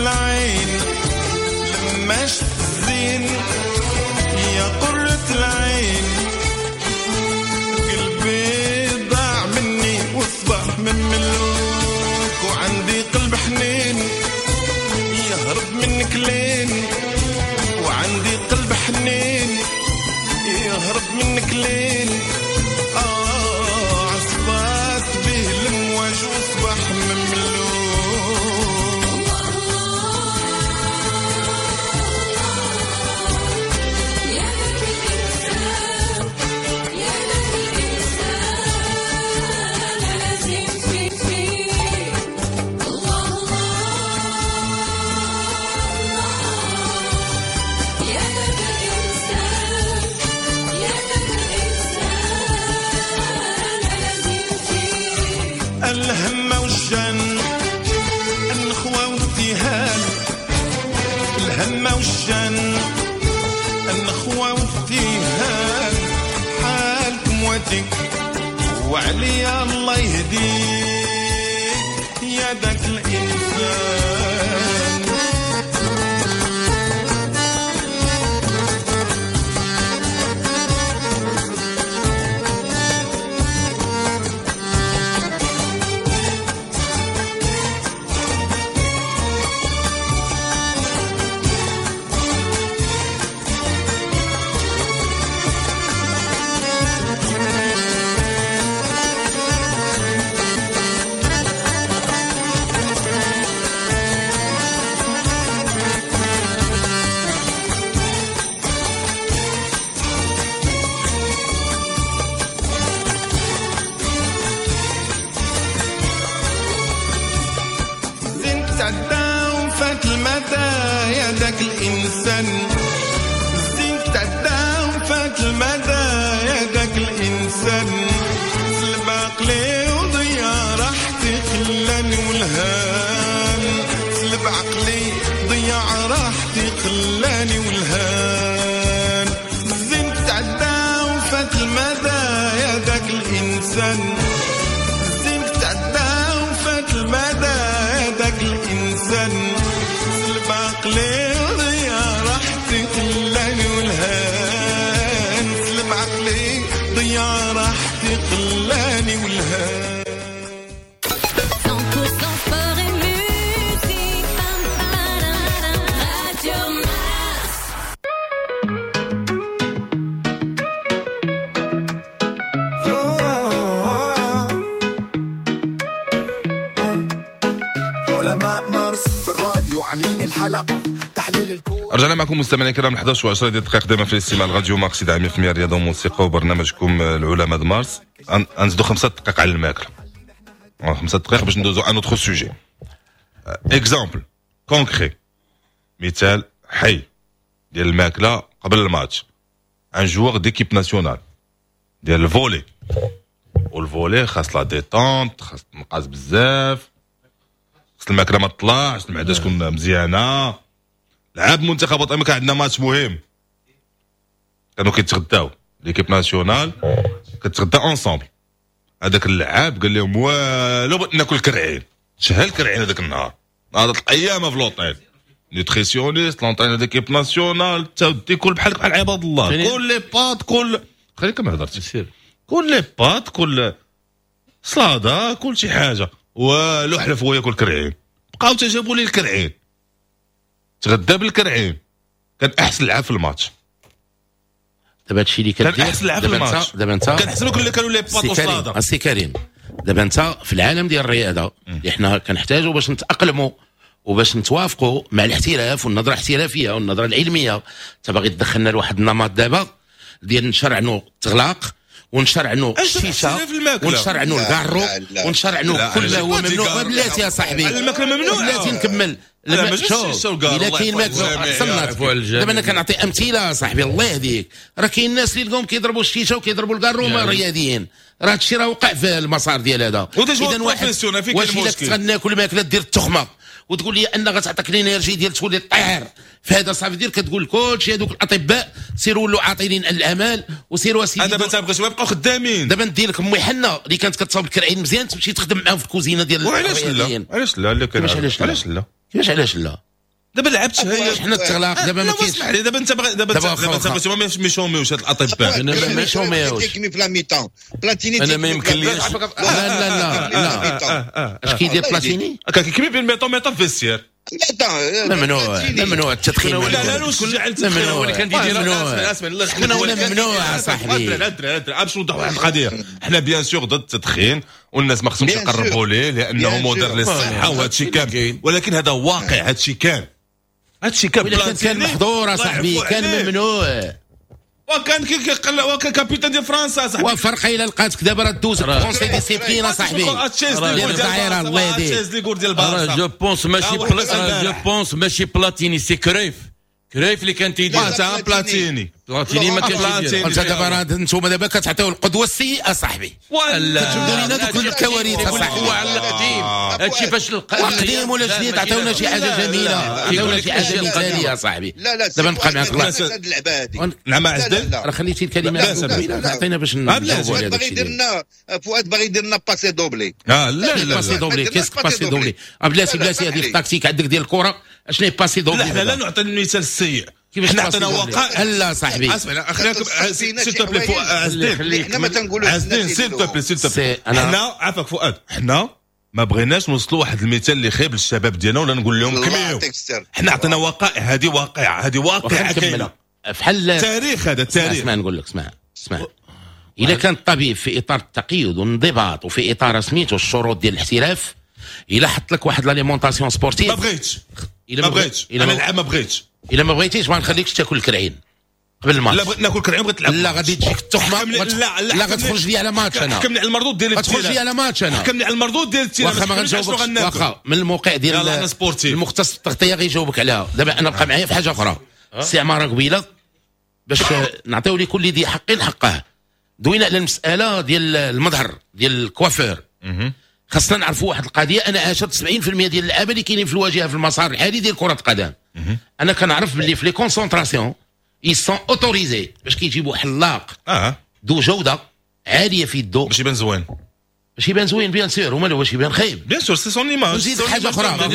العين لما شفت الزين يا قرة العين قلبي ضاع مني واصبح مملوك وعندي قلب حنين يهرب منك لين وعندي قلب حنين يهرب منك لين عصفات به المواج واصبح مملوك. يا ذاك الإنسان يا ذاك الإنسان لازم فيه الله الله يا ذاك الإنسان يا ذاك الإنسان لازم فيه الهمة والشان النخوة والابتهال الهمة والشان النخوة والابتهال حالكم واتك وعليا الله يهديك يا ذاك الإنسان. زين تعدى وفات المدى يا ذاك الإنسان زين تعدى وفات المدى يا ذاك الإنسان سلب عقلي وضيع راحتي خلاني والهان سلب عقلي ضيع راحتي خلاني والهان زين تعدى وفات المدى يا ذاك الإنسان زين تعدى وفات المدى يا ذاك الإنسان سلب عقلي ضيع راحتي خلاني والهان سلب عقلي ضيع راحتي خلاني والهان. 100% sport et musique. Radio Mars. علماء مارس في الراديو عاملين الحلقة تحليل الكورة. رجعنا معكم مستمعينا الكرام 11 و10 دقائق دائما في الاستماع لراديو مارس دعم 100% رياضة وموسيقى وبرنامجكم العلماء د مارس. نزيدو 5 دقائق على الماكلة، 5 دقائق باش ندوزو un autre sujet. exemple concret، مثال حي ديال الماكلة قبل الماتش. un joueur d'équipe nationale ديال ال volley، وال volley خاص la détente، خاص تنقاز بزاف، خاص الماكلة ما تطلعش، المعدة تكون مزيانه. لعب منتخب وطني كان عندنا ماتش مهم، كانوا كيتغداو l'équipe nationale كتغدى ensemble. هذاك اللعاب قال لهم والو بغيت ناكل كرعين، شهى الكرعين هذاك النهار، نهار القيامة في l'hôtel. nutritionniste l'entraîneur d'équipe nationale تا كل بحالك بحال عباد الله، كل les pâtes كل خليك ما هضرتش، كل les pâtes كل سلاطه كل شي حاجة، والو حلف هو ياكل كرعين. بقاو تجابوا لي الكرعين، تغدى بالكرعين، كان احسن لعب في الماتش. دابا هادشي اللي كدير كان احسن لعب في الماتش. دابا انت كنحسبوا كل اللي كانوا les pâtes وسلاطه. السي كريم دابا انت في العالم ديال الرياضة اللي حنا كنحتاجوا باش نتاقلموا وباش نتوافقوا مع الاحتراف والنظرة الاحترافية والنظرة العلمية، انت باغي تدخلنا لواحد النمط دابا ديال نشرعنوا التغلاق ونشرعنوا الشيشة ونشرعنوا الكارو ونشرعنوا كل ما هو ممنوع. بلاتي يا صاحبي الماكلة ممنوعة، بلاتي نكمل. شوف الا كاين ماكله صنعت دابا انا كنعطي امثلة صاحبي الله يهديك. راه كاين الناس اللي لقاهم كيضربوا الشيشة وكيضربوا الكارو ما رياضيين، راه هادشي راه وقع في المسار ديال هذا. اذا واحد واش الا كنت غناكل ماكله دير التخمة وتقول لي ان غتعطيك l'énergie ديال تولي طير، فهذا صافي دير كتقول كلشي هذوك الاطباء سيروا ولوا عاطلين الاعمال وسيروا سيدي. دابا انت بغيتو يبقاو خدامين. دابا ندير لك امي حنة اللي كانت كتصاوب الكرعين مزيان تمشي تخدم معاهم في الكوزينة ديال وعلاش لا؟ علاش لا؟ علاش لا؟ كيفاش علاش لا؟ دابا لعبت هي حنا التغلاق دابا ما كاينش. اسمح لي دابا انت دابا انت بغيتي ما يشوميوش هاد الاطباء. ما يشوميوش في la mi-temps بلاتيني. انا ما يمكنليش. لا لا لا لا، اش كيدير بلاتيني؟ كيكمي بين mi-temps mi-temps في vestiaire. ممنوع ممنوع التدخين. لا لا لا ممنوع. اللي كان كيدير شكون هو ممنوع صاحبي؟ باش نوضح واحد القضية، حنا bien sûr ضد التدخين والناس ما خصهمش يقربوا ليه لانه مضر للصحة وهذا الشيء كامل، ولكن هذا واقع، هذا الشيء كان، هذا الشيء كان كان محظور صاحبي، كان ممنوع. وكان وكان capitaine ديال فرنسا صاحبي. وفرقه الا لقاتك دابا راه دوز conseil disciplinaire صاحبي. الله يهديك. je pense ماشي je pense ماشي بلاتيني، c'est كريف. كريف اللي كان تيدير. تا بلاتيني بلاتيني ما كانش يدير. انت دابا راه انتوما دابا كتعطيو القدوة السيئة صاحبي. كتجبدوا لينا دوك الكوارث صاحبي. هو على القديم هادشي فاش قديم ولا جديد، عطيونا شي حاجة جميلة، عطيونا شي حاجة مثاليه صاحبي. دابا نبقى معاك الله. نعم عزدين راه خليتي الكلمة عطينا باش نجاوبوا على هذا الشيء. فؤاد باغي يدير لنا passe doublé. لا لا لا passe doublé، qu'est-ce que passe doublé؟ بلاتي بلاتي، هذه التكتيك عندك ديال الكره اشنو هي passe doublé؟ لا حنا لا نعطي المثال السيء، كيفاش حنا عطينا وقائع. لا صاحبي اسمع اخليكم s'il te plaît عزدين، حنا ما تنقولوش عزدين s'il te plaît s'il te plaît. حنا عافاك فؤاد، حنا ما بغيناش نوصلوا واحد المثال اللي خايب للشباب ديالنا ولا نقول لهم كميو. حنا عطينا وقائع، هذه واقعه، هذه واقعه كاينه بحال التاريخ، هذا التاريخ. اسمع نقول لك، اسمع اسمع، الا كان الطبيب في اطار التقيد والانضباط وفي اطار سميتو الشروط ديال الاحتراف، الا حط لك واحد l'alimentation sportive. ما بغيتش، ما بغيتش انا نلعب، ما بغيتش. الا ما بغيتيش ما نخليكش تاكل الكرعين قبل الماتش. لا بغيت ناكل كرعين، بغيت نلعب. لا غادي تجيك التخمة. لا لا غتخرج لي على ماتش انا. حكمني على المردود ديال غتخرج لي على ماتش انا. حكمني على المردود ديال ال terrain. واخا ما غنجاوبكش، واخا من الموقع ديال المختص التغطية غيجاوبك عليها. دابا انا بقى معايا في حاجة اخرى سي عمارة قبيلة باش نعطيو لكل ذي حق حقه. دوينا على المسالة ديال المظهر ديال الكوافير. خاصنا نعرفوا واحد القضية، انا عاشرت 70% ديال اللعابه اللي كاينين في الواجهة في المسار الحالي ديال كره القدم. انا كنعرف باللي في les concentrations ils sont autorisés باش كيجيبوا حلاق ذو جوده عالية في يدو باش يبان زوين، باش يبان زوين bien sûr، ومالو باش يبان خايب bien sûr c'est son image. نزيد حاجة اخرى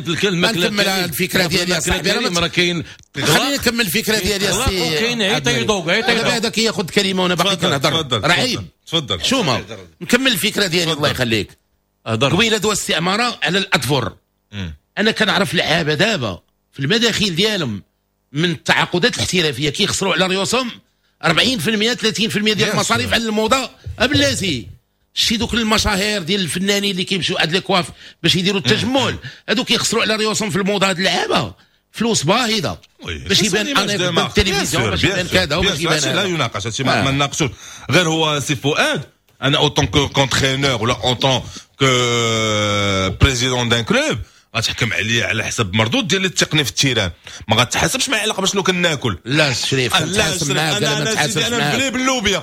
نكمل الفكرة ديالي يا صاحبي، راه كاين خليني نكمل الفكرة ديالي يا سي. كاين عيطيدوك عيطيدوك دابا هذا كياخذ كلمة وانا باقي كنهضر، راه عيب. تفضل شوما نكمل الفكرة ديالي الله يخليك. قبيلة دوا الاستعماره على الاطفر. انا كنعرف لعابه دابا في المداخيل ديالهم من التعاقدات الاحترافية كيخسروا على ريوسهم 40% 30% ديال المصاريف على الموضة. بلاتي شتي دوك المشاهير ديال الفنانين اللي كيمشيو عند les coiffeurs باش يديروا التجمل، هادو كيخسروا على ريوسهم في الموضة. هاد اللعابه فلوس باهظه باش يبان انا في التلفزيون، باش يبان كذا وباش يبان. لا يناقش هادشي، ما نناقشوش. غير هو سي فؤاد، انا en tant qu'entraîneur ولا en tant que président d'un club غتحكم عليا على حسب مردود ديال التقني في ال terrain، ما غتحاسبش معايا على شنو كناكل. لا شريف كنتحاسب معاك، انا ما تحاسبش معاك. انا مبلي باللوبيا،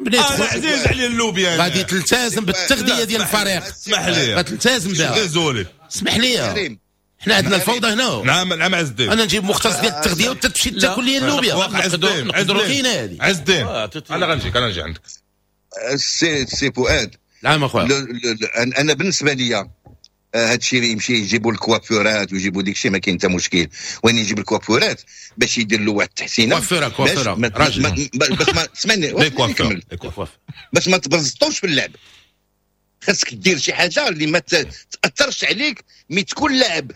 انا عزيز عليا اللوبيا. غادي تلتزم بالتغذية ديال الفريق. اسمح لي غتلتزم بها. désolé اسمح لي، حنا عندنا الفوضى هنا. نعم نعم عز الدين، انا نجيب مختص ديال التغذية وانت تمشي تاكل لي اللوبيا. نقدروا كاينه هذه. عز الدين انا غنجيك، انا نجي عندك سي فؤاد. نعم اخويا، انا بالنسبة لي هادشي اللي يمشي يجيبوا الكوافورات ويجيبوا ديك الشيء ما كاين حتى مشكل. وين يجيب الكوافورات باش يدير له واحد التحسينه كوافوره راجل، باش ما اسمعني باش ما تبرزطوش في اللعب. خاصك دير شي حاجة اللي ما تاثرش عليك ملي تكون لاعب.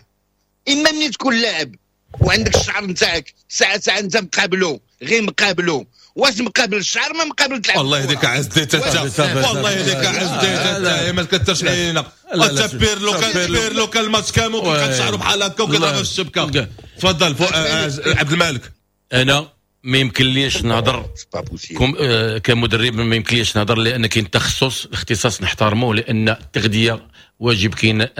اما ملي تكون لاعب وعندك الشعر نتاعك ساعة ساعة انت مقابلو، غير مقابلو، واش مقابل الشعر ما مقابل تلعب. والله يهديك عز الدين تا، والله يهديك عز الدين تا، ما تكثرش علينا. انت بيرلو كان الماتش كامل وكيبقى شعره بحال هكا وكيضرب في الشبكة. تفضل عبد الملك. انا ما يمكنليش نهضر كمدرب، ما يمكنليش نهضر لان كاين تخصص، الاختصاص نحترمه، لان التغذية واجب. كاين un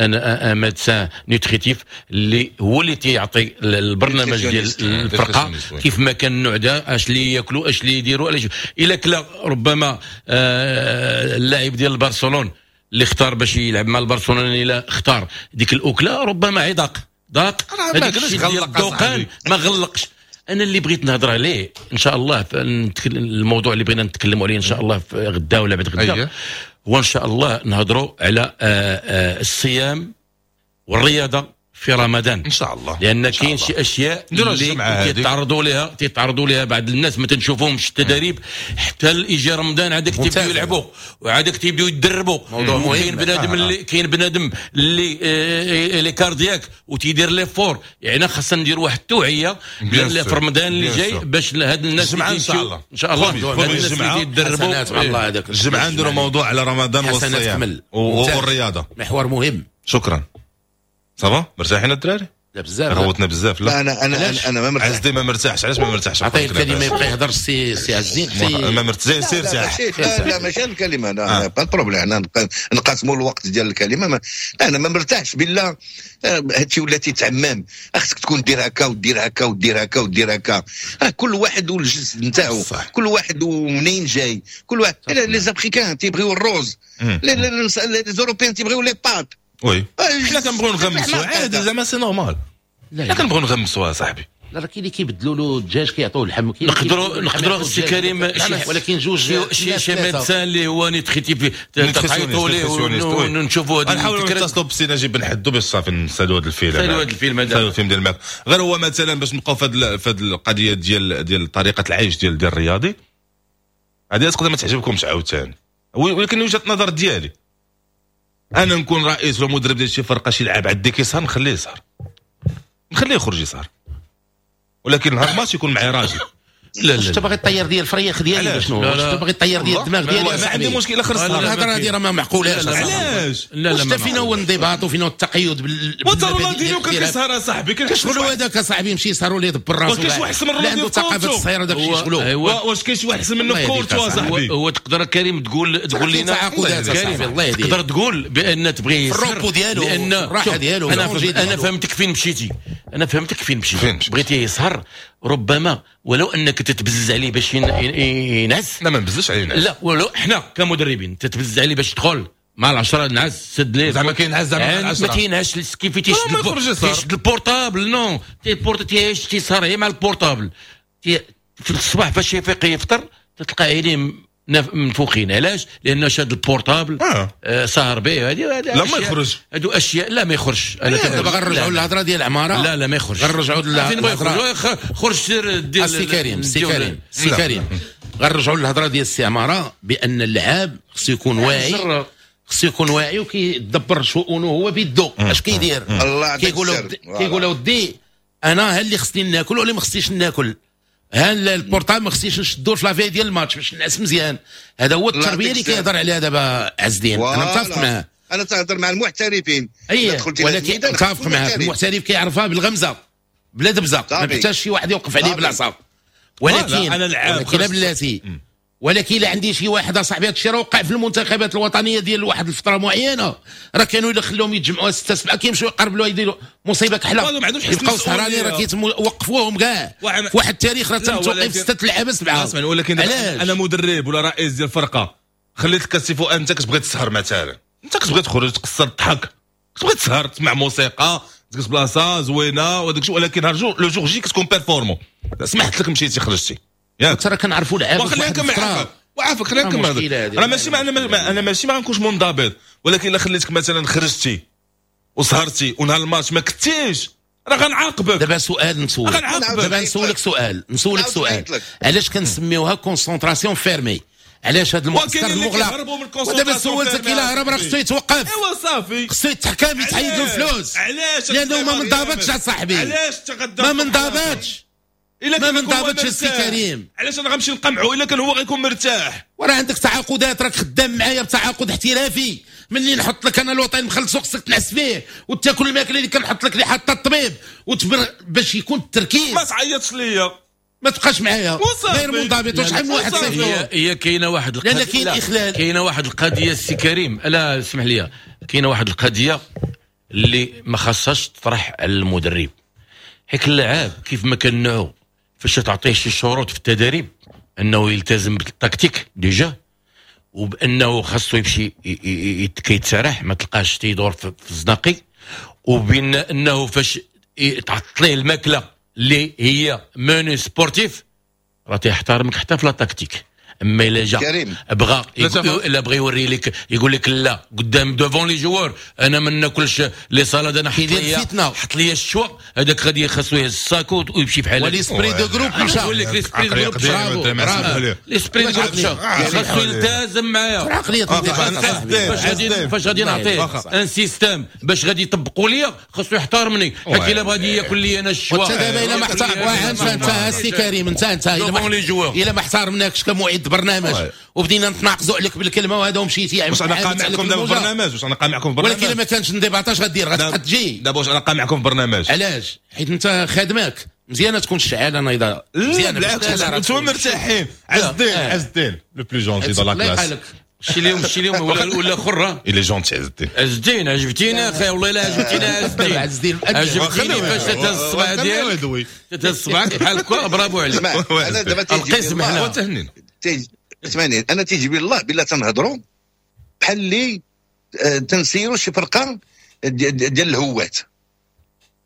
médecin nutritif اللي هو اللي تيعطي البرنامج ديال الفرقة كيف ما كان النوع ده، اش اللي ياكلوا، اش اللي يديروا. الا كلا ربما اللاعب ديال برشلونة اللي اختار باش يلعب مع البرشلونه، الا اختار ديك الاكلة ربما عضاق ضاق هذاك الشيء ديال الدوقان ما غلقش. انا اللي بغيت نهضر عليه ان شاء الله، الموضوع اللي بغينا نتكلموا عليه ان شاء الله غدا ولا بعد غدا، هو ان شاء الله نهضروا على الصيام والرياضة في رمضان ان شاء الله، لان كاين شي اشياء اللي تيتعرضوا لها بعض الناس ما تنشوفهمش التدريب حتى يجي رمضان عادك تيبداو يلعبوا وعادك تيبداو يتدربوا. كاين بنادم اللي كاين بنادم اللي cardiaque وتيدير l'effort، يعني خاصنا نديروا واحد التوعية في رمضان اللي جاي باش هاد الناس ان شاء الله ان شاء الله هاد الناس اللي تيدربوا الله. هذاك الجمعة نديروا موضوع على رمضان والصيام والرياضة، محور مهم. شكرا. ça va مرتاحين الدراري؟ لا بزاف غوتنا بزاف. لا انا انا انا ما مرتاح. عز ما مرتاحش. علاش ما مرتاحش؟ عطية الكلمة يبقى يهضر سي عز الدين. ما مرتاح سير ارتاح. لا ماشي الكلمة، انا pas problème، حنا نقاسموا الوقت ديال الكلمة. انا ما مرتاحش بالله، هادشي ولا تيتعمم، خصك تكون دير هكا ودير هكا ودير هكا ودير هكا. كل واحد والجسد نتاعو، كل واحد ومنين جاي، كل واحد. les Africains تيبغيو الروز، les Européens تيبغيو les pâtes. oui حنا كنبغيو نغمسوا عادي، زعما c'est normal. حنا كنبغيو نغمسوا صاحبي. لا راه كاين اللي كيبدلوا له الدجاج كيعطوه اللحم. نقدروا سي كريم، ولكن جوج شي médecin اللي هو nutritif تعيطوا ليه ونشوفوا هذا. نحاولوا نتصلوا بسي نجيب بن حدو باش صافي نسالوا هذا الفيلم، نسالوا هذا الفيلم هذا، نسالوا الفيلم ديال الماك. غير هو مثلا باش نبقاو في هذه القضية ديال طريقه العيش ديال الرياضي هذه تقدر ما تعجبكمش عاوتاني، ولكن وجهه النظر ديالي انا نكون رئيس ولا مدرب ديال شي فرقه، شي لعاب عندي كيسهر نخليه يسهر، نخليه يخرج يسهر، ولكن نهار الماتش يكون معايا راجل. لا لا انت باغي طير ديال الفريق ديالي شنو؟ واش باغي طير ديال الدماغ ديالي؟ ما عندي مشكل اخر السهر. الهضرة هذه راه ما معقولاش. علاش؟ لا لا واش فينا هو الانضباط وفينا هو التقيد بال رونالدينيو كان كيسهر اصاحبي، كيشغلوا هذاك اصاحبي يمشي يسهروا ليه يدبر راسو. واش كاين شي واحد احسن من رونالدينيو؟ عنده ثقافة الصهيره داك الشيء شغلو. واش كاين شي واحد احسن منه في كورتو اصاحبي؟ هو تقدر كريم تقول لنا الله يهديك، تقدر تقول بان تبغي يسهر ال repos ديالو، لان الراحة ديالو. انا فهمتك فين مشيتي، انا فهمتك فين مشيتي. بغيتي يسهر ربما ولو انك تتبزز عليه باش ينعس. لا ما نبززش عليه ينعس. لا ولو حنا كمدربين تتبزز عليه باش تدخل مع العشرة نعس سد ليه زعما كينعس زعما ما تينعش كيف تيشد ال portable. non تيعيش تيسهر غير مع ال portable. في الصباح فاش يفيق يفطر تتلقى عينيه منفوخين. علاش؟ لانه شاد ال portable سهر به. هذه لا ما يخرج، هادو اشياء لا ما يخرجش. انا دابا غنرجعوا للهضره ديال عمارة. لا لا ما يخرجش، غنرجعوا للهضره. خرج سير دير السي كريم، السي كريم، السي كريم، غنرجعوا للهضره ديال السي عمارة بان اللعاب خصو يكون واعي، خصو يكون واعي وكيدبر شؤونه هو بيدو. اش كيدير؟ كيقول ودي انا ها اللي خصني ناكل ولا ما خصنيش ناكل، ها ال portable ما خصنيش نشدو في la veille ديال الماتش باش نعس مزيان. هذا هو التربية اللي كيهضر عليها دابا عز الدين. انا متفق معاه، انا تهضر مع المحترفين. اي ولكن متفق معاه، المحترف كيعرفها بالغمزه بلا دبزه، ما محتاجش شي واحد يوقف عليه بالعصا. ولكن ولكن بلاتي، ولكن الا عندي شي واحد اصاحبي هادشي راه وقع في المنتخبات الوطنية ديال واحد الفترة معينة، راه كانوا الا خلوهم يتجمعوا 6 7 كيمشيو يقربلوا يديروا مصيبة كحلة، يبقاو سهرانين راه كيتوقفوهم كاع في واحد التاريخ راه تم توقيف 6 لعابه 7. ولكن انا مدرب ولا رئيس ديال الفرقة خليت الكاسيفو، انت كتبغي تسهر مثلا، انت كتبغي تخرج تقصر تضحك، كتبغي تسهر تسمع موسيقى، تجلس بلاصة زوينة وداك الشيء، ولكن le jour J كتكون performant. سمحت لك مشيتي خرجتي ياك، ترى كنعرفوا لعابه. وخلينا نكمل وعافاك، خلينا نكمل. راه ماشي انا ماشي ما غنكونش منضبط، ولكن الا خليتك مثلا خرجتي وسهرتي ونهار الماتش ما كنتيش راه غنعاقبك. دابا سؤال نسولك، دابا نسولك سؤال، نسولك سؤال، علاش كنسميوها concentration fermée؟ علاش هذا المعسكر المغلق؟ ودابا سولتك الا هرب راه خصو يتوقف. ايوا صافي، خصو يتحكم، يتحيد له الفلوس. علاش؟ لانه ما منضبطش اصاحبي. علاش تغدى ما منضبطش؟ ما منضبطش السي كريم. علاش انا غنمشي نقمعو الا كان هو غيكون مرتاح؟ وراه عندك تعاقدات، راك خدام معايا بتعاقد احترافي، ملي نحط لك انا الوطن مخلصو خصك تنعس فيه وتاكل الماكلة اللي كنحط لك اللي حاطه الطبيب وتبر باش يكون التركيز. ما تعيطش ليا، ما تبقاش معايا غير منضبط. وشحال من واحد صيفط. هي كاينه واحد القضية، لان كاين اخلال، كاينه واحد القضية السي كريم، لا اسمح لي، كاينه واحد القضية اللي ما خاصهاش تطرح على المدرب، حيت اللاعب كيف ما كان نوعو فاش تعطيه شي شروط في التدريب انه يلتزم بالتكتيك déjà، وبانه خاصو يمشي كيتسرح ما تلقاش تيدور في الزناقي، وبين انه فاش تعطيه ليه الماكلة اللي هي menu sportif راه تيحترمك حتى في la tactique. اما الا جا بغى الا بغى يوري لك يقول لك لا قدام devant les joueurs انا ما ناكلش les salades، انا حط لي حط لي الشوا، هذاك غادي خاصو يهز ال sac ويمشي بحال هكا. و l'esprit de groupe مشى، نقول لك l'esprit de groupe، l'esprit de groupe مشى، خاصو يلتزم معايا. عقلية فاش غادي نعطيه un système باش غادي يطبقوا ليا خاصو يحترمني، حيت الا بغى ياكل لي انا الشوا. وانت دابا الا ما احترم انت السي كريم، انت الا ما احترمناكش كمعد برنامج وبدينا نتناقزوا عليك بالكلمة وهذا ومشيتي. واش انا قامعكم دابا برنامج؟ واش انا قامعكم برنامج؟ ولكن الا ما كانش انضباط اش غدير؟ غتبقى تجي دابا. واش انا قامعكم برنامج؟ علاش؟ حيت انت خادمك مزيانه تكون الشعاله نايضه مزيانه، بالعكس انتم مرتاحين. عز الدين، عز الدين le plus gentil de la classe. شي اليوم، شي اليوم ولا خره. il est gentil عز الدين. عز الدين عجبتينا اخي، والله الا عجبتينا عز الدين، عجبتيني فاش تهز الصبع ديالك، تهز صبعك بحال هكا، برافو عليك. انا دابا القسم حنا تهنينا. اسمعني، انا تيجي بالله بالله تنهضروا بحال اللي تنسيروا شي فرقه ديال الهوات،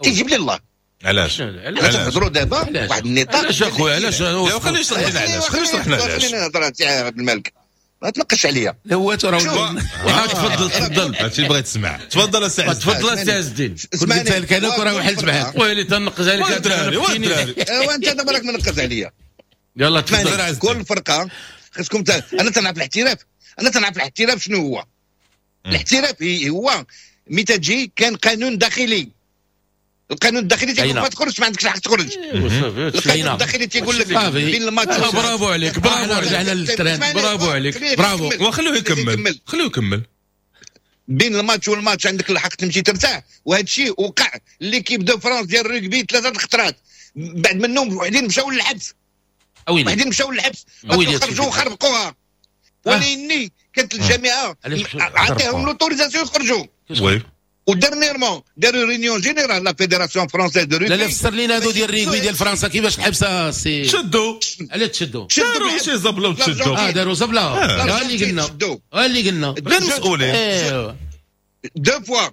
تيجيب لي الله. علاش؟ تنهضروا دابا واحد النطاق. علاش اخويا؟ علاش؟ خليه يشرح لنا علاش، خليه يشرح لنا علاش. خليني نهضر سي عبد الملك، ما تنقش عليا. هو راه تفضل تفضل، هادشي اللي بغيت تسمع. تفضل السي عز، تفضل السي عز الدين. كنت قلت لك انا راه وحلت معاك. ويلي تنقز عليك الدراري، وانت دابا راك منقز عليا. يلا تفضل. كل فرقه خاصكم. انا تنعرف الاحتراف، انا تنعرف الاحتراف شنو هو. الاحتراف هو متى تجي كان قانون داخلي، القانون الداخلي تيقول ما تخرجش، ما عندكش الحق تخرج. القانون الداخلي تيقول لك بين الماتش. برافو عليك، برافو، رجعنا لل terrain، برافو عليك، برافو. وخلوه يكمل، خلوه يكمل. بين الماتش والماتش عندك الحق تمشي ترتاح، وهذا الشيء وقع l'équipe de France ديال الرugby 3 الخطرات، بعد منهم وحدين مشاو للحبس، وحدين مشاو للحبس، خرجوا وخربقوها. ولاني كانت الجامعة عطيهم l'autorisation يخرجوا. oui و dernièrement داروا réunion générale la fédération française de rugby. لا لا، فسر لينا هادو ديال الريغبي ديال فرنسا كيفاش الحبسة سي شدوا. علاش تشدوا؟ داروا شي زبله وتشدوا. داروا زبله، ها اللي قلنا، ها اللي قلنا، غير مسؤولين. deux fois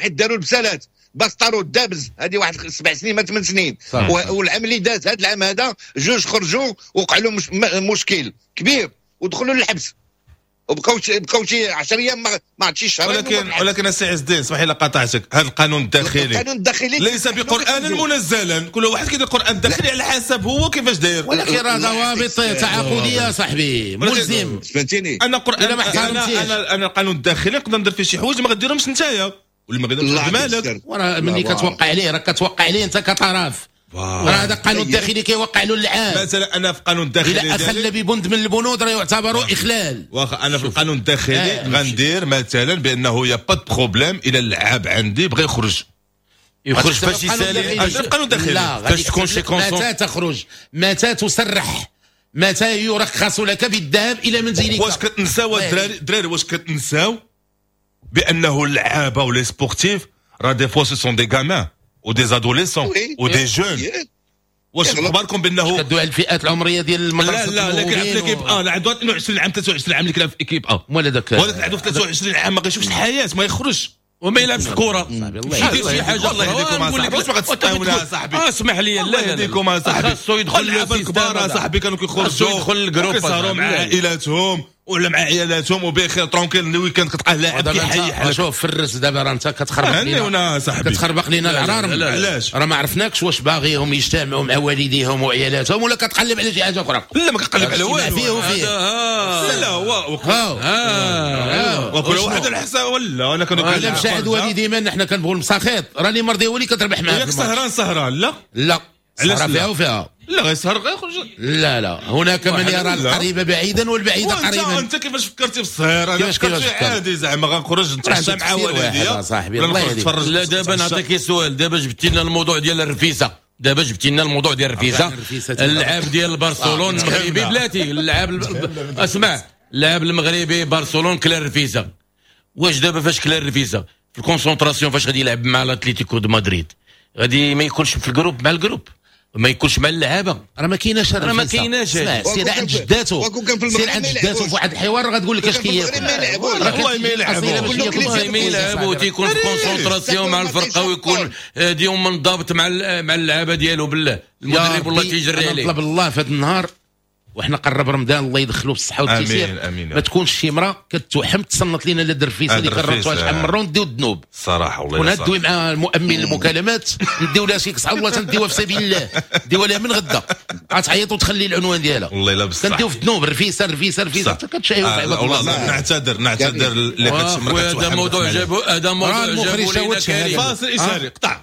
حيت داروا البسالات باستارو دابز هذه واحد 7 سنين ما 8 سنين، والعام اللي داز هذا العام هذا جوج خرجوا وقع لهم مشكل كبير ودخلوا للحبس وبقاو شي 10 ايام ما عرفتش شهرين. ولكن السي عز الدين اسمح لي قاطعتك، هذا القانون الداخلي، القانون الداخلي ليس بقران منزلا، كل واحد كيدير القران الداخلي على حسب هو كيفاش داير. ولكن راه ضوابط تعاقديه صاحبي، ملزم. فهمتيني؟ انا قران انا انا القانون الداخلي نقدر ندير فيه شي حوايج ما غديرهمش نتايا واللي ما غيديرهمش مالك. وراه ملي كتوقع عليه راه كتوقع عليه انت كطرف، راه هذا القانون الداخلي كيوقع له اللعاب. مثلا انا في القانون الداخلي الا اخل ببند من البنود راه يعتبر اخلال. واخا انا في القانون الداخلي غندير مثلا بانه y a pas de problème الى اللعاب عندي بغى يخرج، يخرج فاش يسالي القانون الداخلي، فاش تكون شي conso. متى تخرج؟ متى تسرح؟ متى يرخص لك بالذهاب الى منزلك؟ واش كتنساو الدراري، واش كتنساو بانه اللعابه و les sportifs راه des fois ce sont des gamins و des adolescents و des jeunes. واش اخباركم بانه كدوي على الفئات العمرية ديال المدرسة؟ لا لا، لكن في l'équipe A عنده 22 عام 23 عام اللي كيلعب في équipe A، ولا داك ولكن عنده 23 عام ما غيشوفش الحياة، ما يخرجش وما يلعبش الكره، يدير شي حاجة. الله يهديكم اصاحبي، واش ما غتسطيونا اصاحبي؟ اسمح لي، الله يهديكم اصاحبي، خاصو يدخل اللعابه الكبار اصاحبي، كانوا كيخرجوا يدخل ال groupe كيسهروا مع عائلاتهم ولا مع عيالاتهم وبخير tranquille. ال week-end كتلقاه لاعب كيحيح. شوف فرس دابا راه انت كتخربق لينا، كتخربق لينا العرارم. علاش؟ راه ما عرفناكش واش باغيهم يجتمعوا مع والديهم وعيالاتهم ولا كتقلب على شي حاجة اخرى. لا ما كنقلب على والو، فيه وفيه. لا لا هو وكل واحد على حساب. ولا انا كنقول الا مشى عند والدي من حنا كنبغوا المساخيط، راه اللي مرضي هو اللي كتربح معاه. ياك سهران سهران. لا لا، علاش فيها وفيها. لا غيسهر غيخرج. لا لا، هناك من يرى القريب بعيدا والبعيد قريبا. انت كيفاش فكرتي في السهر؟ انا فكرت عادي زعما غنخرج نتعشى مع والديا صاحبي. الله يهديك. لا دابا نعطيك سؤال، دابا جبتي لنا الموضوع ديال الرفيسه، دابا جبتي لنا الموضوع ديال الرفيسه. اللعاب ديال برشلونة المغربي بلاتي، اللعاب اسمع، اللاعب المغربي برشلونة كلا الرفيسه. واش دابا فاش كلا الرفيسه في ال concentration فاش غادي يلعب مع الاتليتيكو دو مدريد غادي ما يكونش في ال groupe مع ال groupe، ما يكونش مع اللعابه. راه ما كايناش، راه ما كايناش. سير عند جداتو، سير عند جداتو في واحد الحوار غتقول لك اش كياكل. والله ما يلعبوا، والله ما يلعبوا، تيكون في concentration مع الفرقة ويكون ديوم منضبط مع اللعابه ديالو. بالله المدرب والله تيجري عليه. نطلب الله في هذا النهار وحنا قرب رمضان الله يدخلو بالصحة والتيسير. امين. ما تكونش شي مراة كتوحم تصنت لينا لا الرفيسه اللي كررتوها شحال من مرة ونديو الذنوب الصراحة والله. وندوي مع المؤمن المكالمات نديو لها شي كسعه والله تنديوها في سبيل الله، نديوها لها من غدا غتعيط وتخلي العنوان ديالها والله الا بصح كنديو في الذنوب. الرفيسه الرفيسه الرفيسه كتشايو في عباد الله. نعتذر اللي كتوحم. هذا موضوع جابوا، هذا موضوع جابوا لينا كريم. فاصل اشاري قطع.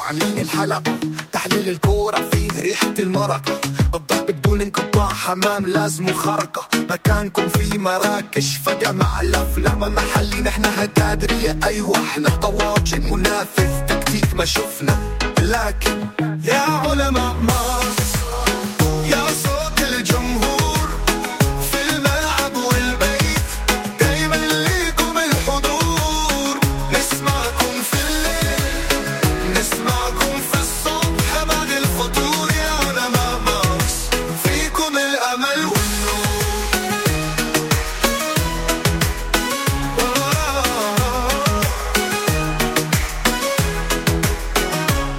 عاملين الحلقة تحليل الكورة فيه ريحة المرقة، الضرب بدون انقطاع، حمام لازم خرقة، مكانكم في مراكش فجأة مع الأفلام محلي، نحن هتادرية أيوة احنا طواجن منافس تكتيك ما شفنا، لكن يا علماء مارس يا صوت الجمهور في الملعب والبيت، دايما ليكم الحضور، نسمعكم في الليل نسمعكم في الصبح بعد الفطور، يا علماء مارس فيكم الأمل والنور.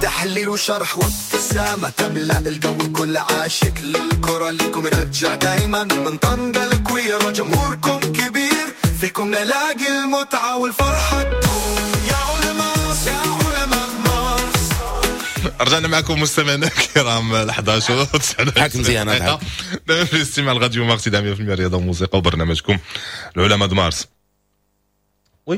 تحليل وشرح وابتسامة تملأ الجو، كل عاشق للكرة ليكم رجع دايما من طنجة الكويرة، جمهوركم كبير فيكم نلاقي المتعة والفرحة تدوم، يا علماء يا علماء مارس. رجعنا معكم مستمعينا الكرام 11 حاك مزيان دائما في الاستماع لراديو مارس 100% رياضة وموسيقى وبرنامجكم العلماء د مارس. oui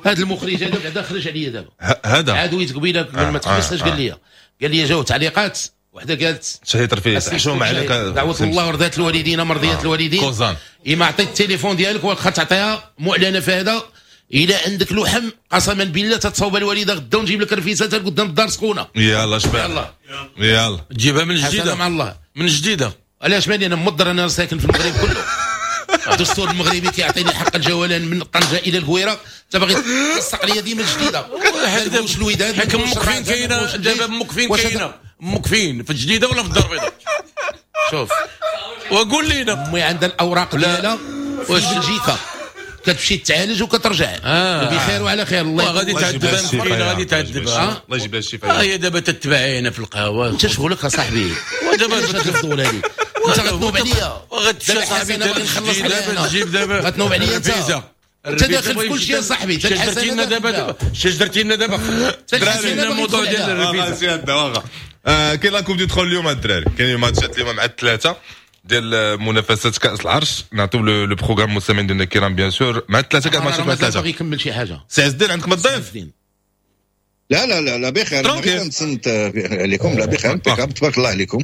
هذا المخرج هذا بعدا خرج عليا دابا، هذا عاد ويت قبيلة قبل ما تحبس اش قال لي؟ قال لي جاو تعليقات وحده قالت شهيت رفيس حشومه عليك، دعوه الله ورضات الوالدين مرضيات الوالدين كوزان، اما عطيت التليفون ديالك واخا تعطيها معلنة في هذا، الا عندك لحم قسما بالله تتصوب الوالدة غدا ونجيب لك رفيسه حتى قدام الدار سخونة. يلا شباب يلا يلا تجيبها من الجديدة مع الله من الجديدة. علاش ماني انا مضر، انا ساكن في المغرب كله، الدستور المغربي كيعطيني حق الجولان من طنجه الى الكويره، انت باغي تلصق لي ديما الجديدة. واش الوداد حيت امك فين كاينه دابا؟ امك فين كاينه؟ امك فين، في الجديدة ولا في الدار البيضاء؟ شوف وقول لينا. امي عندها الاوراق ديالها واش بلجيكا كتمشي تعالج وكترجع بخير وعلى خير. الله غادي تعذبها مسكينه، غادي تعذبها. الله يجيب لها الشفاء. هي دابا تتبعي هنا في القهوة. انت شغلك اصاحبي، ودابا الفضول هذه انت غتنوب عليا، وغتمشي صاحبي دابا تجيب دابا غتنوب عليا انت، انت داخل في كل شيء صاحبي. درتي لنا دابا، اش درتي لنا دابا؟ درتي لنا الموضوع ديال الرفيسه. كاين la Coupe du Trône اليوم الدراري، كاين ماتشات اليوم مع الثلاثة ديال منافسات كاس العرش. نعطيو le programme مستمعين ديالنا الكرام bien sûr مع الثلاثة كاع ماتشات مع الثلاثة. باغي يكمل شي حاجة سي عز الدين، عندك ما تضيف؟ لا لا لا لا بخير، نتصنت عليكم. لا بخير تبارك الله عليكم.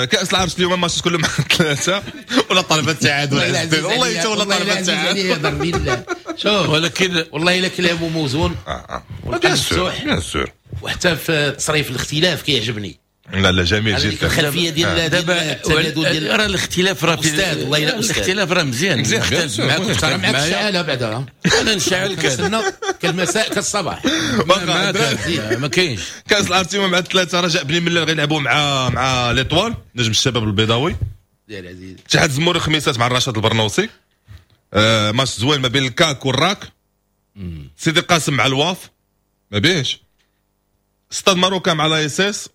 كاس العرش اليوم ماتش كله مع الثلاثة ولا طلبه التعادل والله انت ولا طلبه التعادل. شوف ولكن والله الا كلامه موزون bien sûr bien sûr، وحتى في تصريف الاختلاف كيعجبني. لا لا جميل جدا. الخلفية ديال دابا راه الاختلاف راه استاذ والله الا استاذ الاختلاف راه مزيان. مزيان معاك معاك الشعاله بعدا، انا نشعل كنستنى كالمساء كالصباح ما كاينش. كاس العرش مع الثلاثة رجاء بني ملال غيلعبوا مع l'Étoile نجم الشباب البيضاوي ديال عزيز. اتحاد زمور الخميسات مع الرشاد البرنوسي، ماتش زوين ما بين الكاك والراك. سيدي قاسم مع الواف ما بيهش. Stade Marocain مع l'ASS،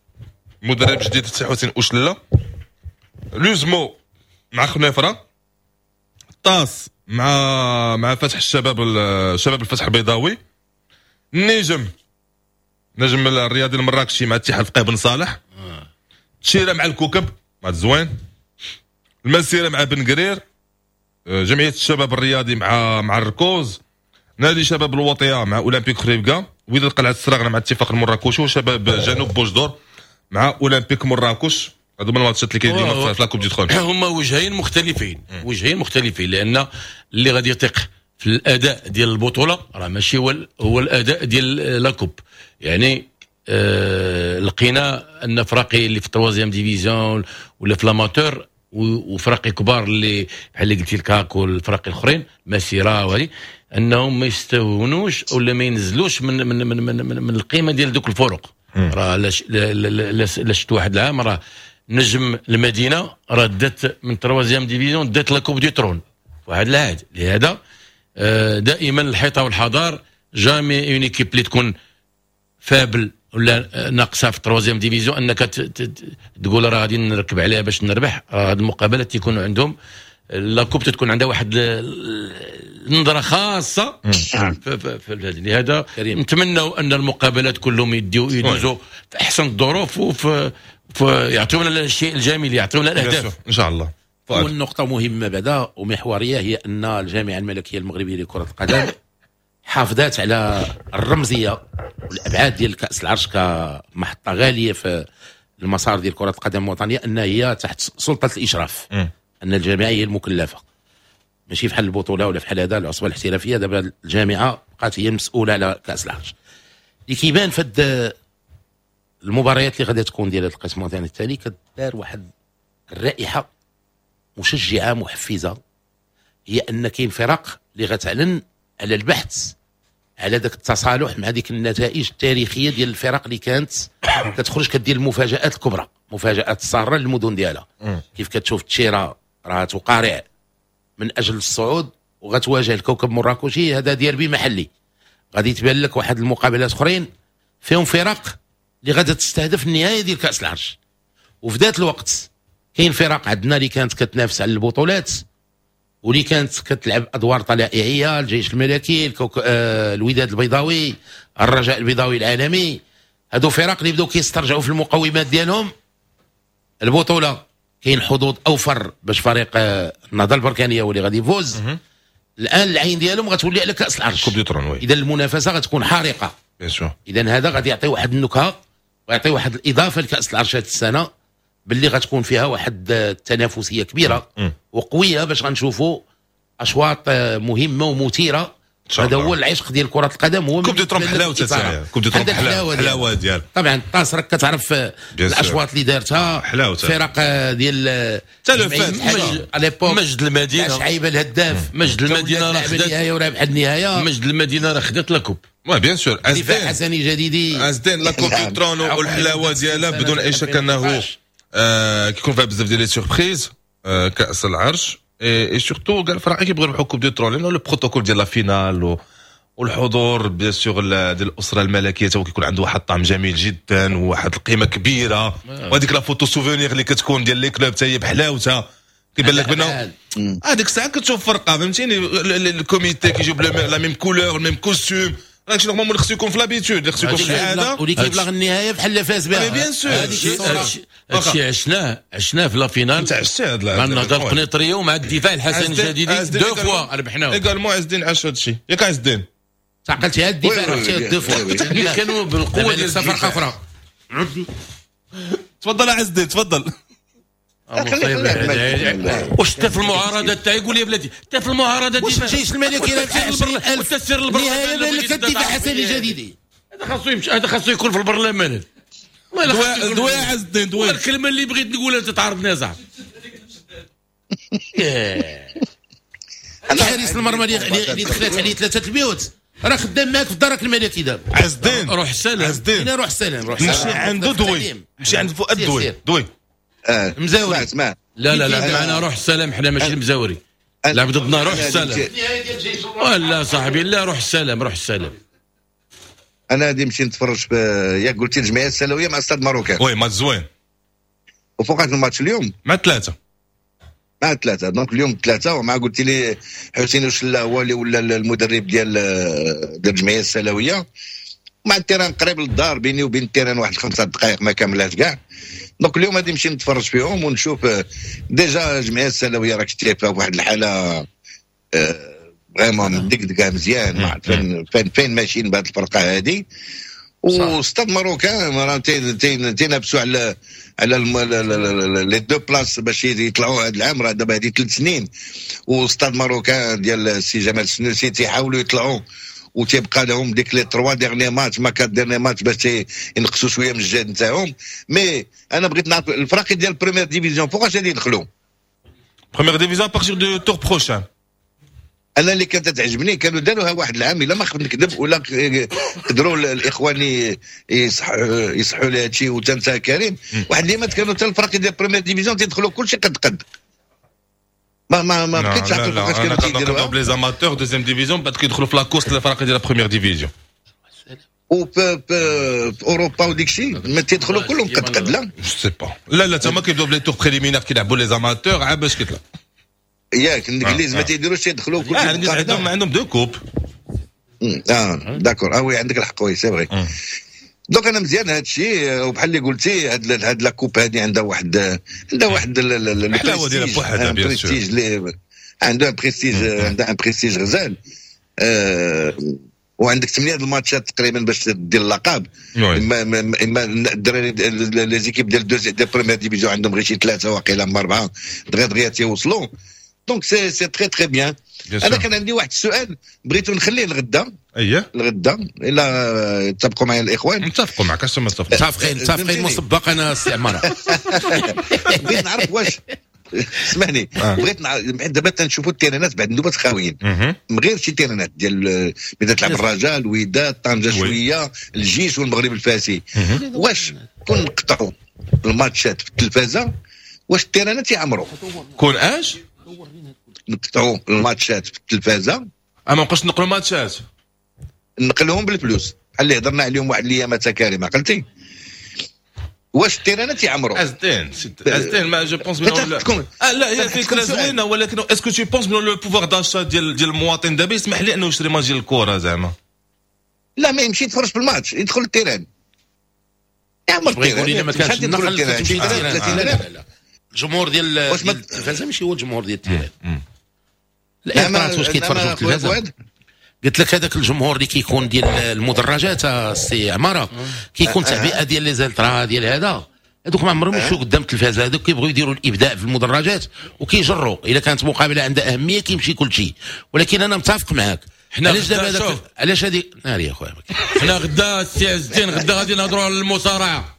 مدرب جديد سي حسين اوشلا. l'USMO مع خنيفره. طاس مع فتح الشباب شباب الفتح البيضاوي. النجم نجم الرياضي المراكشي مع اتحاد فقيه بن صالح. تشيره مع الكوكب مع الزوين. المسيرة مع بن قرير. جمعية الشباب الرياضي مع الركوز. نادي شباب الوطية مع اولمبيك خريبكا. وداد قلعه السراغنه مع اتفاق المراكشي. وشباب جنوب بوجدور مع اولمبيك مراكش. هادو من الماتشات اللي كاينين اليوم في la Coupe du Trône. هما وجهين مختلفين، وجهين مختلفين، لان اللي غادي يثق في الاداء ديال البطولة راه ماشي هو الاداء ديال la coupe. يعني لقينا ان فراقي اللي في ال troisième division ولا في l'amateur وفراقي كبار اللي بحال اللي قلتي الكاك والفراقي الاخرين مسيره وهذه انهم ما يستهونوش ولا ما ينزلوش من من من من, من, من القيمة ديال دوك الفرق. راه لا شفت واحد العام راه نجم المدينة راه دات من troisième division دات la coupe du trône واحد العهد. لهذا دائما الحيطة والحذر، jamais une équipe اللي تكون faible ولا ناقصه في troisième division انك تقول راه غادي نركب عليها باش نربح. راه هذه المقابلات تيكونوا عندهم la coupe تكون عندها واحد النظرة خاصة في لهذا نتمنوا ان المقابلات كلهم يدوزوا في احسن الظروف وفي يعطيونا الشيء الجميل، يعطيونا الاهداف ان شاء الله. والنقطة مهمة بعدا ومحوريه هي ان الجامعة الملكية المغربية لكرة القدم حافظت على الرمزية والابعاد ديال كاس العرش كمحطه غالية في المسار ديال كره القدم الوطنية، ان هي تحت سلطة الاشراف، ان الجامعة هي المكلفه، ماشي فحال البطولة ولا فحال هذا العصبة الاحترافية. دابا الجامعة بقات هي المسؤولة على كاس العرش. اللي كيبان في المباريات اللي غادي تكون ديال القسم الوطني الثاني كدار واحد الرائحة مشجعه محفزه، هي ان كاين فرق اللي غتعلن على البحث على ذاك التصالح مع ديك النتائج التاريخية ديال الفرق اللي كانت كتخرج كدير المفاجات الكبرى، مفاجات الساره للمدن ديالها. كيف كتشوف تشيرا راه تقارع من اجل الصعود وغتواجه الكوكب مراكشي، هذا ديربي محلي. غادي تبان لك واحد المقابلات اخرين فيهم فرق اللي غادا تستهدف النهاية ديال كاس العرش. وفي ذات الوقت كاين فرق عندنا اللي كانت كتنافس على البطولات واللي كانت كتلعب ادوار طلائعيه، الجيش الملكي، الوداد البيضاوي، الرجاء البيضاوي العالمي. هادو فرق اللي بداو كيسترجعوا في المقومات ديالهم. البطولة كاين حظوظ اوفر باش فريق النهضة البركانيه هو اللي غادي يفوز. الان العين ديالهم غتولي على كاس العرش، اذا المنافسة غتكون حارقه. اذا هذا غادي يعطي واحد النكهة ويعطي واحد الاضافة لكاس العرش هذه السنة، باللي غتكون فيها واحد التنافسية كبيرة وقويه باش غنشوفوا اشواط مهمة ومثيره. هذا هو العشق ديال كره القدم، هو coupe du trône حلاوة، coupe du trône حلاوة ديال طبعا الطاس راك كتعرف الاشواط اللي دارتها فرق ديال مجد المدينة، شعيبه الهداف، مجد المدينة راه خدات النهاية ورابح النهاية، مجد المدينة راه خدات la coupe. oui bien sûr دفاع حسني جديدي ازدين la coupe du trône والحلاوه ديالها بدون اي شك انه كيكون فيها بزاف ديال les surprises. كاس العرش et surtout كاع الفرق كيبغيو يربحوا coupe du trône، لانه le protocole ديال la finale والحضور bien sûr ديال الاسرة الملكية تا هو كيكون عنده واحد الطعم جميل جدا وواحد القيمة كبيرة. وهذيك la photo souvenir اللي كتكون ديال les clubs حتى هي بحلاوتها، كيبان لك بانه هذيك الساعة كتشوف فرقه، فهمتيني؟ ال comité كيجيب la même couleur، ال même costume، راك normalement خصو يكون في l'habitude، خصو يكون في العادة، واللي كيبلغ النهاية بحال فاز بها. bien sûr هادشي عشناه في la finale. انت عشتي هاد مع النهضة القنيطريه ومع الدفاع الحسن الجديدي deux fois ربحناه. également عز الدين عاش هادشي، ياك عز الدين؟ تعقلتي هاد الدفاع ربحتي deux fois اللي كانوا بالقوة ديال فرقه اخرى. تفضل عز الدين تفضل. واش انت في المعارضة تاعي؟ قول لي بلاتي انت في المعارضة. واش الجيش الملكي راه 20000 وتسير البرلمان الدفاع الحسني الجديدي؟ هذا خاصو يمشي، هذا خاصو يكون في البرلمان. دوي عز الدين دوي. الكلمة اللي بغيت نقولها انت تعرضني صاحبي. حارس المرمى اللي دخلت عليه 3 البيوت راه خدام معاك في الدرك الملكي دابا. عز الدين روح السلام، عز الدين روح السلام، روح السلام. مشي عنده دوي، مشي عند فؤاد دوي دوي مزاوري. اسمع لا لا لا معنا روح السلام، حنا ماشي المزاوري، لعب ضدنا روح السلام. لا صاحبي لا، روح السلام، روح السلام. انا غادي نمشي نتفرج في ياك قلتي الجمعية السلويه مع Stade Marocain. oui match زوين. وفوقات الماتش اليوم؟ مع 3. مع 3 donc اليوم 3، ومع قلتي لي حسين وشلا هو اللي ولا المدرب ديال الجمعية السلويه. مع ال terrain قريب للدار، بيني وبين ال terrain واحد 5 دقائق ما كاملاش كاع. donc اليوم غادي نمشي نتفرج فيهم ونشوف. déjà الجمعية السلويه راك شتي فيها واحد الحالة vraiment مدقدقه مزيان، ما عرفت فين ماشيين بهذه الفرقة هذه. و Stade Marocain راه تينافسوا على les deux places باش يطلعوا هذا العام، راه دابا هذه 3 سنين. و Stade Marocain ديال السي جمال السنوسي تيحاولوا يطلعوا، وتيبقى لهم ديك les 3 derniers matchs ما 4 derniers matchs باش ينقصوا شوية من الجهد نتاعهم. mais انا بغيت نعرف الفرق ديال première division فوقاش غادي يدخلوا؟ première division à partir du tour prochain. انا اللي كانت تعجبني كانوا داروها واحد العام، الا ما خفت نكذب ولا قدروا الاخوان يصحوا لي هادشي وتنسى كريم، واحد اليامات كانوا حتى الفرق ديال première division تيدخلوا كلشي قد قد. ما بقيتش عارف كيفاش كانوا تيديروها. les amateurs deuxième division بعد كيدخلوا في la course الفرق ديال première division. وفي اوروبا وديك الشيء ما تيدخلوا كلهم قد قد. لا je sais pas، لا لا تما كيبداو ب les tours préliminaires كيلعبوا les amateurs عاد باش كيطلع. ياك الانجليز ما تيديروش تيدخلوا كلشي. عندهم deux coupes. d'accord، oui عندك الحق، oui c'est vrai. donc انا مزيان هذا الشيء، وبحال اللي قلتي هاد la coupe هادي عندها واحد الحلاوة ديالها بوحدها، bien sûr عندها بريستيج، عندها un prestige غزال. وعندك 8 الماتشات تقريبا باش دير اللقب. اما الدراري les équipes ديال deuxième ديال première division عندهم غير شي 3 واقيلا اما 4 دغيا دغيا تيوصلوا. donc c'est très très bien. انا كان عندي واحد السؤال بغيتو نخليه لغدا. اييه الغدا الا اتفقوا معايا الاخوان. نتفقوا معك، اش ما متفقين؟ متفقين مسبقا انا السي عمارة. بغيت نعرف واش اسمعني، بغيت نعرف دابا تنشوفوا التيرانات بعد النوبات خاويين، من غير شي تيرانات ديال ملي تلعب الرجاء، الوداد، طنجه شوية، الجيش والمغرب الفاسي. واش كون نقطعوا الماتشات في التلفازه واش التيرانات يعمروا؟ كون اش نقطعوا الماتشات في التلفازه؟ ما نبقاوش نقلوا ماتشات، نقلوهم بالفلوس بحال اللي هضرنا عليهم واحد الايام كريم، عقلتي؟ واش التيرانات يعمروا؟ ازدين ما je pense لا هي فكرة زوينة، ولكن est-ce que tu penses بلي le pouvoir d'achat ديال المواطن دابا يسمح لي انه يشري ماتش ديال الكره زعما؟ لا ما يمشي يتفرج في الماتش، يدخل ال terrain يعمر ال terrain. ما كانش النقل تمشي لا الجمهور ديال التلفازه ماشي هو الجمهور ديال ال terrain. الإطارات واش كيتفرجوا في التلفازه؟ قلت لك هذاك الجمهور اللي كيكون ديال المدرجات السي عمارة كيكون تعبئة ديال les ultras ديال هذا، هذوك ما عمرهم يمشيو قدام التلفازه، هذوك كيبغيو يديروا الابداع في المدرجات وكيجروا. الا كانت مقابله عندها اهمية كيمشي كل شيء. ولكن انا متفق معاك. علاش دابا علاش هذه ناري يا خويا؟ حنا غدا السي عز الدين غدا غادي نهضروا على المصارعة.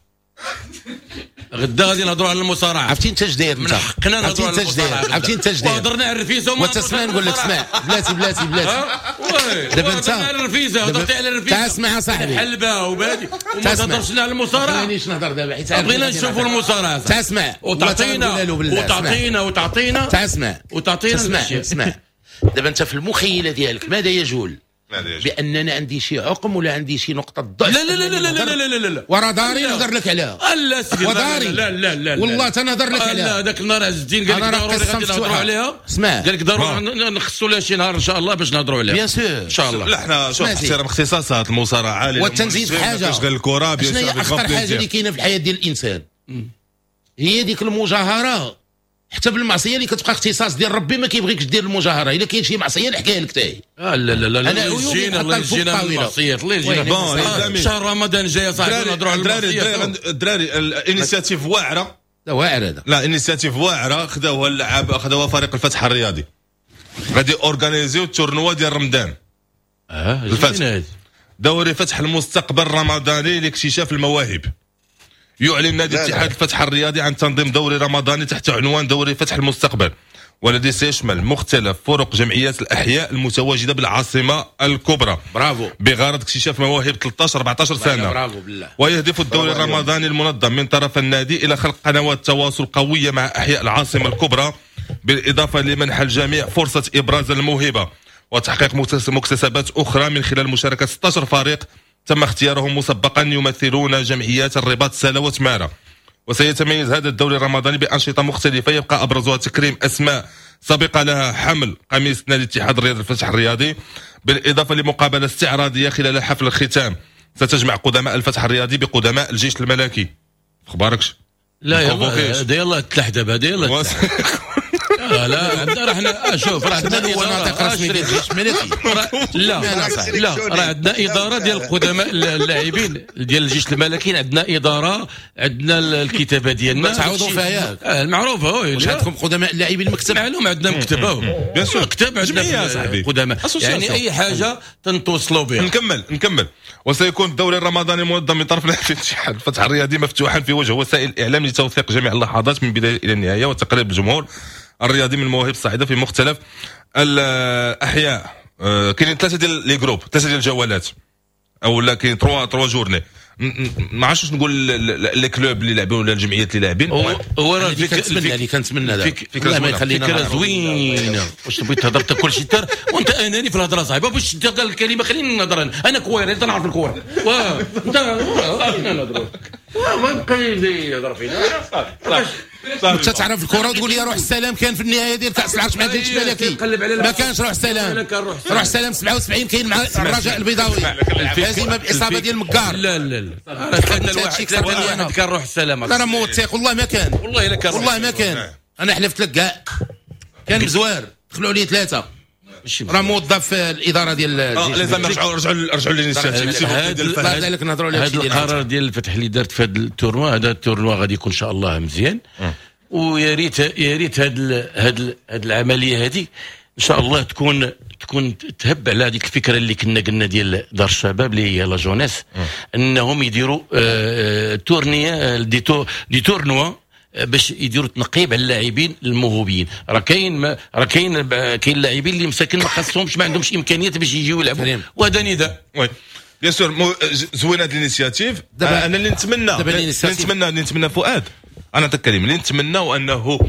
غدا غادي نهضروا على المصارعة. عرفتي انت اش داير؟ من حقنا نهضروا على المصارعة. عرفتي انت اش داير؟ وهضرنا على الرفيسه وما تسمع. نقول لك اسمع بلاتي بلاتي بلاتي. دابا انت على الرفيسه، هضرتي على الرفيسه. تعال اسمع يا صاحبي. الحلبة وبادي وما تهضرش على المصارعة. ما بغيناش نهضر دابا حيت بغينا نشوفوا المصارعة. تعال اسمع وتعطينا وتعطينا وتعطينا. تعال اسمع وتعطينا. اسمع اسمع. دابا انت في المخيله ديالك ماذا يجول؟ باننا عندي شي عقم ولا عندي شي نقطة ضعف؟ لا لا لا لا لا لا لا لا ورا داري نهضر لك عليها. لا سيدي وداري لا لا لا والله تنهضر لك عليها. لا هذاك النهار عز الدين قال لك ضروري غادي نهضروا عليها. اسمع قال لك ضروري نخصوا لها شي نهار ان شاء الله باش نهضروا عليها. bien sûr ان شاء الله. لا حنا شوف احترام اختصاصات المصارعة والتنزيد حاجة غير الكره. bien sûr اخطر حاجة اللي كاينه في الحياة ديال الانسان هي ديك المجاهرة، حتى بالمعصية اللي كتبقى اختصاص ديال ربي ما كيبغيكش دير المجاهرة. الا كاين شي معصية نحكيها لك تاهي. لا لا لا لا الله يجينا الله يجينا من المعصيات، الله يجينا. شهر رمضان جاي يا صاحبي نهضروا على المعصيات. الدراري ال initiative واعرة. لا واعر هذا. لا initiative واعرة خداوها اللعاب، خداوها فريق الفتح الرياضي. غادي organiser ال tournoi ديال رمضان. الفتح دوري فتح المستقبل الرمضاني لاكتشاف المواهب. يعلن نادي اتحاد الفتح الرياضي عن تنظيم دوري رمضاني تحت عنوان دوري فتح المستقبل، والذي سيشمل مختلف فرق جمعيات الأحياء المتواجدة بالعاصمة الكبرى. برافو. بغرض اكتشاف مواهب 13 14 سنة. برافو بالله. ويهدف الدوري الرمضاني المنظم من طرف النادي إلى خلق قنوات تواصل قوية مع أحياء العاصمة الكبرى، بالإضافة لمنح الجميع فرصة إبراز الموهبة وتحقيق مكتسبات أخرى من خلال مشاركة 16 فريق تم اختيارهم مسبقا يمثلون جمعيات الرباط سلا وتمارة. وسيتميز هذا الدوري الرمضاني بأنشطة مختلفة يبقى أبرزها تكريم أسماء سبق لها حمل قميص نادي اتحاد الرياضي الفتح الرياضي، بالإضافة لمقابلة استعراضية خلال حفل الختام ستجمع قدماء الفتح الرياضي بقدماء الجيش الملكي. أخباركش؟ لا يلا يلا تلح دابا يلا. لا لا راه شوف راه عندنا ناطق رسمي ديال الجيش الملكي. لا لا راه عندنا ادارة ديال القدماء اللاعبين ديال الجيش الملكي، عندنا ادارة، عندنا الكتابة ديالنا تعوضوا فيها ياك المعروفة. واش عندكم قدماء اللاعبين المكتب؟ معلوم عندنا مكتب اهو bien sûr مكتب عندنا قدماء، يعني اي حاجة تنتوصلوا بها. نكمل. وسيكون الدوري الرمضاني المنظم من طرف الاتحاد الفتح الرياضي مفتوحا في وجه وسائل الاعلام لتوثيق جميع اللحظات من البداية الى النهاية وتقريب الجمهور الرياضي من المواهب الصاعدة في مختلف الاحياء. كاينين ثلاثة ديال les groupes، ثلاثة ديال الجولات او لا كاين trois journées. ما عرفتش نقول les clubs اللي لاعبين ولا الجمعيات اللي لاعبين. هو راه كنتمنى اللي كنتمنى فكرة ما يخلينا، فكرة زوينة. واش بغيت تهضر انت كلشي تر وانت اناني في الهضرة صاحبي، باش تلقى الكلمة خليني نهضر انا كوير، انت نعرف الكورة انت خلينا نهضروا، ما بقى يهضر فينا. انت تعرف الكره وتقول لي روح السلام كان في النهاية ديال كاس العرش مع الجيش الملكي، ما كانش روح السلام. روح السلام 77 كاين مع الرجاء البيضاوي، هزيمة باصابة ديال مكار. لا لا لا 3-1 كان روح السلام. لا راه موثق والله ما كان، والله الا كان، والله ما كان. انا حلفت لك كاع كان مزوار، دخلوا عليه ثلاثة، راه موظف في الادارة ديال الجيش. رجعوا l'initiative. هذا نهضروا على هذا القرار ديال الفتح اللي دارت في هذا ال tournoi. هذا ال tournoi غادي يكون ان شاء الله مزيان، ويا ريت يا ريت هاد العملية هذه ان شاء الله تكون تهب على هذيك الفكرة اللي كنا قلنا ديال دار الشباب اللي هي la jeunesse، انهم يديروا tournée des tournois باش يديروا تنقيب على اللاعبين الموهوبين. راه كاين راه كاين لاعبين اللي مساكن ما خاصهمش، ما عندهمش امكانيات باش يجيو يلعبوا، وهذا نداء. oui bien sûr زوينة هذه l'initiative. انا اللي نتمنى فؤاد، انا نعطيك كلمة، اللي نتمنى انه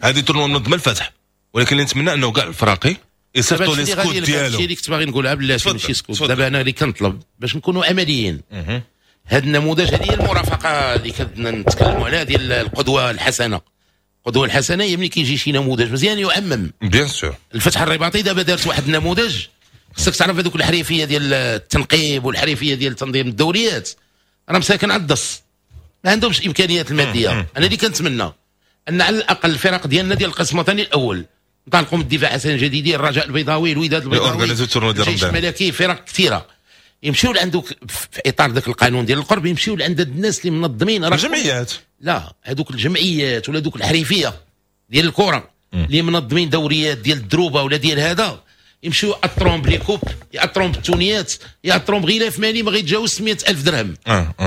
هذه tournoi منظمة الفتح، ولكن اللي نتمنى انه كاع الفراقي يصيفطوا les scouts ديالو. هادشي اللي كنت باغي نقولها بلاتي ماشي scout. دابا انا اللي كنطلب باش نكونوا عمليين، هذا النموذج، هذه هي المرافقة اللي كنا نتكلموا عليها ديال القدوة الحسنة. القدوة الحسنة هي ملي كيجي شي نموذج مزيان يعمم. bien sûr الفتح الرباطي دابا دارت واحد النموذج، خصك تعرف هذوك الحريفيه ديال التنقيب والحريفيه ديال تنظيم الدوريات راه مساكن على الدص، ما عندهمش امكانيات المادية. انا اللي كنتمنى ان على الاقل الفرق ديالنا ديال القسم الوطني الاول نطلقوا من الدفاع حسن الجديدي، الرجاء البيضاوي، الوداد البيضاوي، الجيش الملكي، فرق كثيرة يمشيو لعندك في اطار ذاك القانون ديال القرب، يمشيو لعند الناس اللي منظمين الجمعيات. لا هذوك الجمعيات ولا دوك الحريفيه ديال الكره اللي منظمين دوريات ديال الدروبه ولا ديال هذا، يمشيو يأطرون ب les coupes، يأطرون بالتونيات، يأطرون بغلاف مالي ما غيتجاوز 100,000 درهم.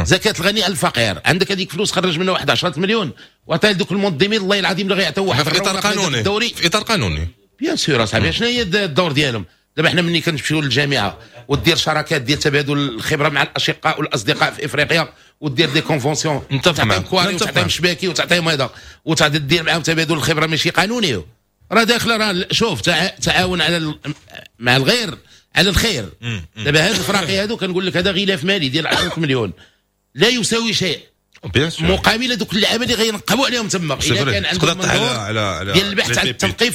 زكاة الغني على الفقير، عندك هذيك فلوس خرج منها واحد 10 مليون وعطيها لدوك المنظمين، الله العظيم اللي غيعطيو واحد في اطار قانوني، في اطار قانوني bien sûr اصاحبي. شنو هي الدور ديالهم؟ دابا حنا ملي كنمشيو للجامعة ودير شراكات ديال تبادل الخبرة مع الاشقاء والاصدقاء في افريقيا ودير des conventions، تعطيهم كواري وتعطيهم شباكي وتعطيهم هذا وتعطي دير معاهم تبادل الخبرة ماشي قانوني، راه داخله راه شوف تعاون على مع الغير على الخير. دابا هاد الفراقي هادو كنقول لك هذا غلاف مالي ديال 10 مليون لا يساوي شيء مقابل دوك اللعابه اللي غينقبوا عليهم تما. الا كان عندهم منظور ديال البحث عن التنقيب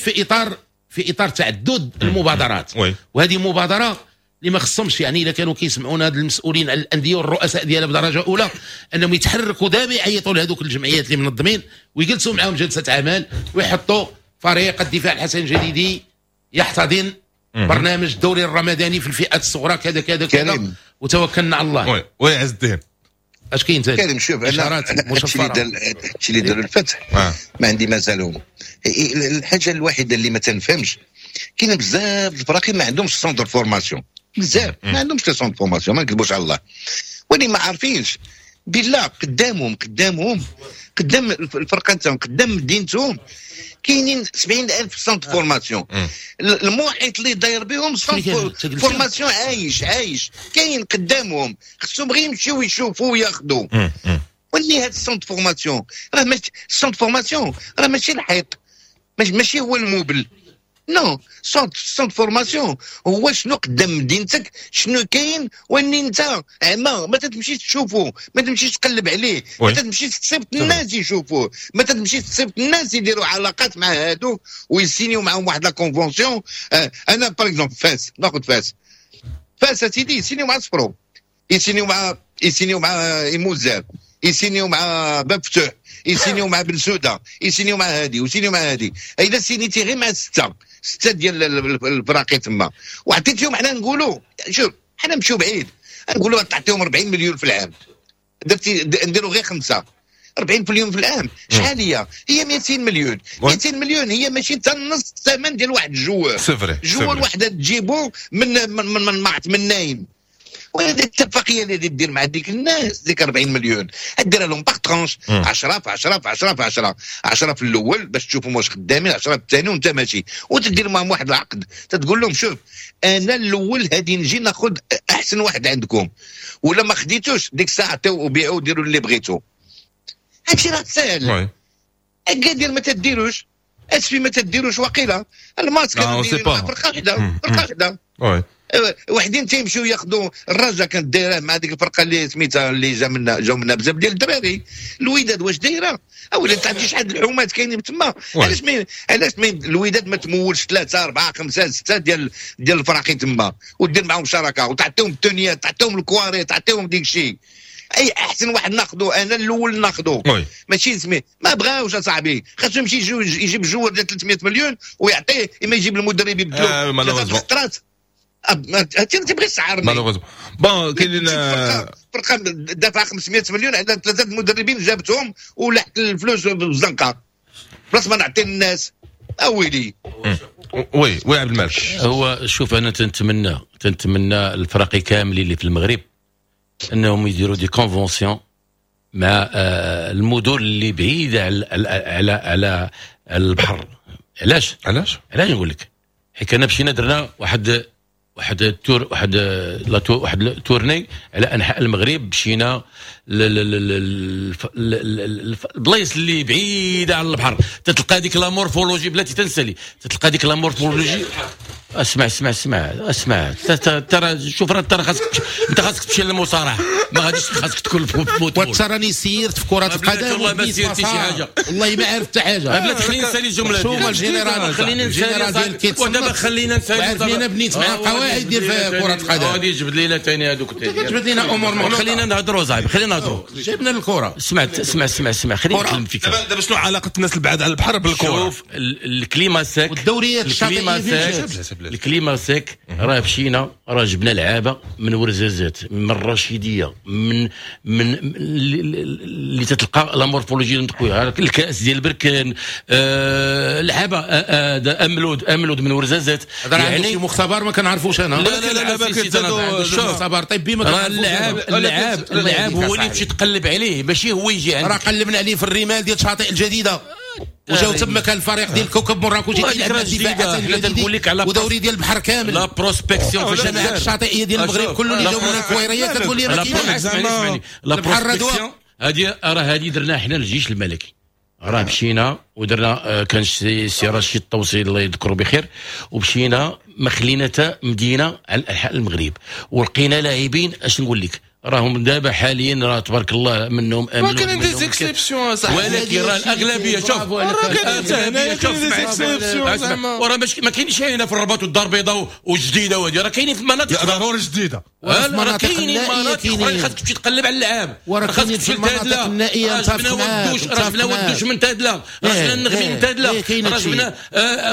في اطار تعدد المبادرات، وهذه مبادرة اللي ما خصهمش، يعني الا كانوا كيسمعونا هاد المسؤولين على الاندية والرؤساء ديالها بدرجة اولى انهم يتحركوا دابا، يعيطوا لهذوك الجمعيات اللي منظمين ويجلسوا معاهم جلسه عمل ويحطوا فريق الدفاع الحسن الجديدي يحتضن برنامج الدوري الرمضاني في الفئات الصغرى كذا كذا كذا، وتوكلنا على الله. oui عز الدين اش كاين ثاني؟ كريم شوف انا هادشي اللي دار الفتح ما عندي مازالهم. الحاجة الوحيدة اللي ما تنفهمش، كاين بزاف الفراقي ما عندهمش centre formation، بزاف ما عندهمش centre formation، ما نكذبوش على الله، ولي ما عارفينش بالله قدامهم قدام الفرقة نتاعهم قدام مدينتهم كاينين 70,000 centre formation. المحيط اللي داير بهم centre formation عايش كاين قدامهم، خصهم غير يمشيو يشوفوا وياخذوا. واللي هاد ال centre formation راه ماشي ال centre formation، راه ماشي الحيط، ماشي هو ال meuble، non. centre formation هو شنو قدام مدينتك، شنو كاين، واني انت عما ما تمشيش تشوفو، ما تمشيش تقلب عليه، ما تمشيش تصيفط الناس يشوفوه، ما تمشيش تصيفط الناس يديروا علاقات مع هادو ويسينيو معاهم واحد la convention. انا par exemple فاس، ناخذ فاس سيدي يسينيو مع صفرو، يسينيو مع إيموزار، يسينيو مع باب فتوح، يسينيو مع بن سوده، يسينيو مع هادي ويسينيو مع هادي. اذا سينيتي غير مع ستة ديال الفراقي تما وعطيتيهم، حنا نقولوا شوف حنا نمشيو بعيد، نقولوا تعطيهم 40 مليون في العام، درتي نديروا غير 5 40 مليون في العام، شحال هي؟ هي 200 مليون. 200 مليون هي ماشي حتى نص الثمن ديال واحد ال joueur، joueur واحد تجيبو من من من من, من نايم. وهذه الاتفاقية اللي دير مع ديك الناس، ديك 40 مليون ديرها لهم par tranches، 10 في 10 في 10 في 10، 10 في الاول باش تشوفهم واش خدامين، 10 في الثاني وانت ماشي، وتدير معهم واحد العقد تتقول لهم شوف انا الاول هادي نجي ناخذ احسن واحد عندكم، ولا ما خديتوش ديك الساعة عطيو وبيعوا وديروا اللي بغيتو. هادشي راه ساهل. اكادير ما تديروش، اسفي ما تديروش، وقيله الماتش كانوا فرقه وحده، فرقه وحده وحدين تيمشيو ياخذوا. الرجاء كانت دايرة مع ديك الفرقة اللي سميتها اللي جا منا، جاو منا بزاف ديال الدراري. الوداد واش دايرة؟ اولا تعرفتي شحال الحومات كاينين تما؟ علاش ما الوداد ما تمولش 3 4 5 6 ديال الفراقي تما، ودير معاهم شراكة وتعطيهم التونيات، تعطيهم الكواري، تعطيهم ديك الشيء. اي احسن واحد ناخذو انا الاول ناخذو، ماشي سمي ما بغاوش اصاحبي، خاصو يمشي يجيب joueur ديال 300 مليون ويعطيه، اما يجيب المدرب يبدلو ثلاث خطرات. انت تبغي تسعرني bon. كاينين فرقه دافعه 500 مليون عندها ثلاثة المدربين جابتهم ولحت الفلوس بالزنقه، بلاص ما نعطي الناس. اويلي oui oui عبد الملك. هو شوف انا تنتمنى الفرق كاملين اللي في المغرب انهم يديروا des conventions مع المدن اللي بعيدة على على على البحر. علاش؟ علاش؟ علاش نقول لك؟ حيت انا مشينا درنا واحد ال tour واحد ال tournée على انحاء المغرب، مشينا البلايص اللي بعيدة على البحر، تتلقى ديك la morphologie بلاتي تنسالي، تتلقى ديك la morphologie. اسمع اسمع اسمع اسمع، ترى شوف راه ترى خاصك انت خاصك تمشي للمصارعه، ما غاديش خاصك تكون في football. وتراني سيرت في كره القدم والله ما سيرتي شي حاجة، والله ما عرفت حتى حاجة. بلاتي خليني نسالي الجملة ديالي. شوف الجنرال، خليني نسالي ودابا خلينا نسالي. عرفني بنيت مع قواعد ديال كره القدم. غادي يجبد لينا ثاني هذوك، كتجبد لينا امور مغلوطة. خلينا نهضروا صاحبي، خلينا نهضروا. جبنا الكره. اسمع اسمع اسمع اسمع، خليني نتكلم فيك دابا. شنو علاقة الناس البعاد على البحر بالكرة؟ شوف ال climat sec والدوريات الشاطئيه، ال climat sec راه مشينا راه جبنا لعابه من ورزازات، من الرشيديه، من من اللي تتلقى la morphologie قوية، الكاس ديال بركان، لعابه املود من ورزازات. يعني شي مختبر ما كنعرفوش انا. لا لا لا لا، مختبر طبي ما كنعرفوش. اللاعب اللاعب هو اللي تمشي تقلب عليه، ماشي هو يجي عندك. راه قلبنا عليه في الرمال ديال شاطئ الجديدة، وجاو تما كان الفريق ديال كوكب مراكش يلعب الدفاع ودوري ديال البحر كامل. la prospection في الجماعات الشاطئيه ديال المغرب كله اللي جاو من الكويريه كتقول لي ما كاينش la prospection. هذه راه هذه درناها حنا الجيش الملكي، راه مشينا ودرنا، كان سي رشيد الطوسي الله يذكره بخير، ومشينا ما خلينا حتى مدينة على انحاء المغرب، ولقينا لاعبين اش نقول لك راهم دابا حاليا راه تبارك الله منهم امنوا. كاين des exceptions صح، ولكن راه الاغلبية شوف راه كاين des exceptions زعما، وراه ما كاينش هنا في الرباط والدار البيضاء والجديده وهذه، راه كاينين في المناطق ضروري جديدة، راه كاينين مناطق اخرى خاصك تمشي تقلب على اللعاب، وراه خاصك تمشي لتادله، النائية راه جبنا ودوش، راه جبنا ودوش من تادله، راه جبنا النغمي من تادله، راه جبنا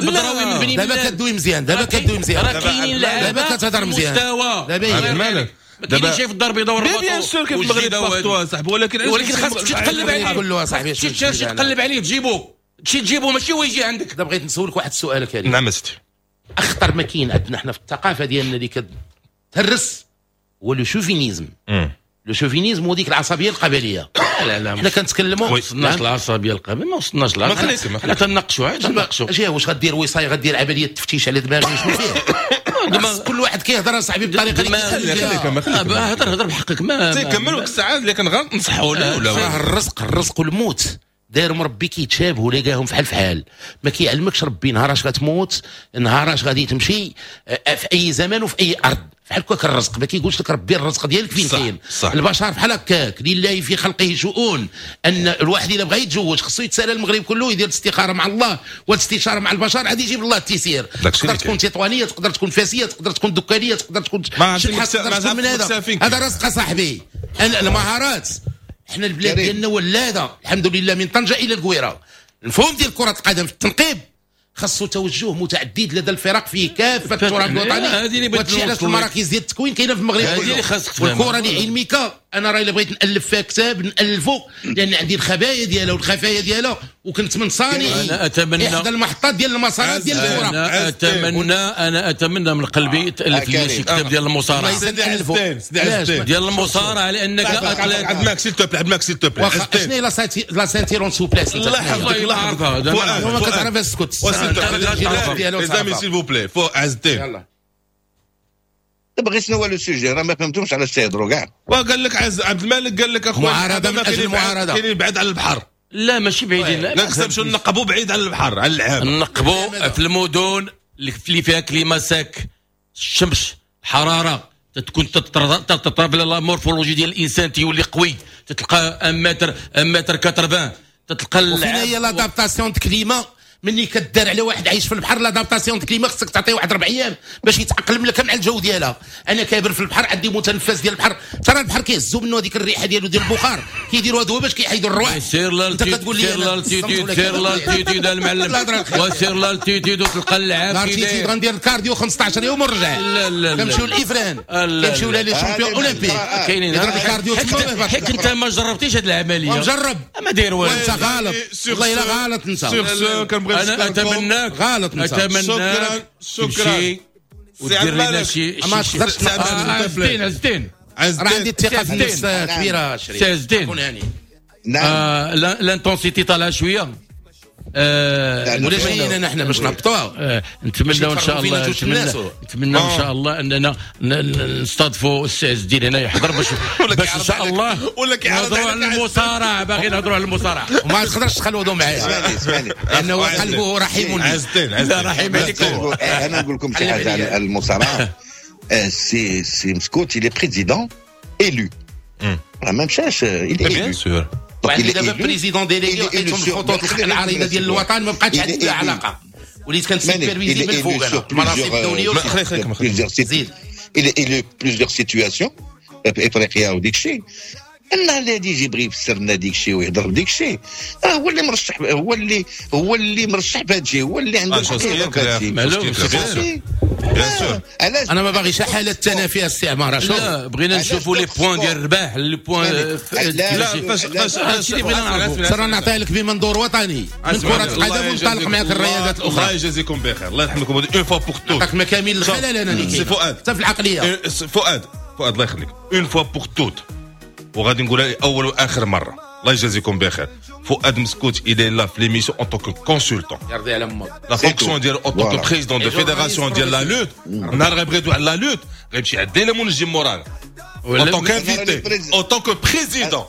بدراوي من بني دابا كدوي مزيان، دابا كدوي مزيان، راه كاينين لعابه دابا كتهضر مزيان دابا مالك دابا شايف الدار البيضاء والرباط bien sûr كيف المغرب partout صاحبي، ولكن خاصك تمشي تقلب عليه كله صاحبي، تمشي تقلب عليه تجيبو، تمشي تجيبو ماشي هو يجي عندك. دابا بغيت نسولك واحد السؤال كريم. نعم سيدي. اخطر ما كاين عندنا حنا في الثقافة ديالنا اللي كتهرس هو le chauvinisme. le chauvinisme هو ديك العصبية القبلية. لا لا حنا كنتكلموا ما وصلناش العصبية القبلية، ما وصلناش العصبية، حنا تناقشوا تناقشوا. اجي واش غدير وصايه، غدير عملية تفتيش على دماغي شنو فيها؟ كل واحد كيهضر اصاحبي بطريقة اللي هضر هضر بحقك ما تيكمل وقت الساعة اللي كنغلط نصحوا له ولا راه الرزق والموت داير مربي كيتشابهوا لقاهم فحال فحال، ما كيعلمكش ربي نهار اش غتموت، نهار اش غادي تمشي، في اي زمان وفي اي ارض. بحال هكاك الرزق ما كيقولش لك ربي الرزق ديالك فين كاين. البشر بحال هكاك، لله في خلقه شؤون. ان الواحد الا بغى يتزوج خصو يتسال المغرب كله، يدير الاستخارة مع الله والاستشاره مع البشر، عاد يجيب الله التيسير. تقدر تكون تطوانيه، تقدر تكون فاسيه، تقدر تكون دكانيه، تقدر تكون شحال، تقدر تكون من هذا. هذا رزق صاحبي. المهارات حنا البلاد ديالنا ولاده الحمد لله من طنجه الى القويره. المفهوم ديال كره القدم في التنقيب خاصو توجه متعدد لدى الفرق في كافة التراب الوطني. وهادشي علاش المراكز ديال التكوين كاينه في المغرب كله. والكره لعلمك انا راه الا بغيت نالف فيها كتاب نالفو، لان عندي الخبايا ديالها والخفايا ديالها، وكنت من صانعي انا اتمنى احدى المحطات ديال المسارات ديال الكره. انا اتمنى من قلبي تالف لي شي كتاب ديال المصارعة، ديال المصارعة، لانك athlète. عبد الماك s'il te plaît، عبد الماك s'il te plaît، شنو هي la ceinture en souplesse؟ الله يحفظك، الله يحفظك، ما كتعرف اسكت. les amis s'il vous plaît، فؤاد عز الدين. دابا غير شنو هو le sujet؟ راه ما فهمتهمش علاش تيهضروا كاع. وقال لك عز عبد الملك، قال لك اخويا معارضة من اجل المعارضة، كاينين بعد على البحر. لا ماشي بعيدين، لا خصنا نمشيو نقبوا بعيد على البحر، على العام نقبوا في المدن اللي فيها climat sec، الشمس، الحرارة تكون تتضرب la morphologie ديال الانسان، تيولي قوي، تتلقى 1 متر 1 متر 80 تتلقى. وفين هي l'adaptation climat ملي كدار على واحد عايش في البحر؟ l'adaptation climat خصك تعطيه واحد 4 ايام باش يتاقلم لك مع الجو ديالها. انا كابر في البحر، عندي متنفس ديال البحر، ترى البحر كيهزوا منه هذيك الريحة ديالو ديال البخار، كيديروا هذا باش كيحيدوا الرواح. سير l'altitude، سير l'altitude، سير l'altitude المعلم، وسير l'altitude وتلقى اللعاب. l'altitude غندير ال cardio 15 يوم ونرجع. كنمشيو لافران، كنمشيو les champions olympiques، كاينين ال cardio. حيت انت ما جربتيش هذه العملية. مجرب، ما داير والو. انت غلط والله الا غلط انت. انا اتمناك غلط. اتمناك شكرا شكرا ودير لنا شي. ما تقدرش. عزتين عزتين، راه عندي الثقة في النفس كبيرة. شريف عزتين، نعم l'intensité طالعه شوية. ولا جايين نحن باش نهبطوها. نتمنى ان شاء الله، نتمنى ان شاء الله اننا نستضيفوا السي عز الدين هنا يحضر باش ان شاء الله نهضروا على المصارعة. باغي نهضروا على المصارعة وما تقدرش تخلوضوا معايا لانه قلبه رحيم. عز الدين، عز الدين رحيم عليكم. انا نقول لكم شي حاجة على المصارعة. سي مسكوت il est président élu، راه ما مشاش، il est bien sûr. وعندي دابا président délégué، وعطيتهم الخطوط العريضة ديال الوطن، ما بقاتش عندي علاقة، وليت كن superviser من الفوق انا المناصب الدولية. زيد il plusieurs situations في افريقيا وديك الشيء، ان الذي يجي يبغي يفسر لنا ديك الشيء ويهضر بديك الشيء، هو اللي مرشح، هو اللي مرشح بهذا الشيء، هو اللي عنده الحق يهضر بهذا الشيء. انا ما باغيش حاله تنافي الاستعمار. لا بغينا نشوفوا les points ديال الرباح، les points. لا فاش هادشي اللي بغينا نعرفوا. ترى نعطيها لك بمنظور وطني من كره القدم ونطلق معك الرياضات الاخرى. الله يجازيكم بخير، الله يرحمكم. une fois pour toutes عطاك مكامل الخلل انا اللي سي فؤاد حتى في العقلية. فؤاد فؤاد الله يخليك، une fois pour toutes، وغادي نقولها اول واخر مرة، الله يجازيكم بخير. فؤاد مسكوت il est là في l'émission en tant que consultant، يرضي على امك. la fonction ديال en tant que président de fédération ديال la lutte، نهار غيبغي يدوي على la lutte غيمشي عند لي منجم مورانا en tant qu'invité، en tant que président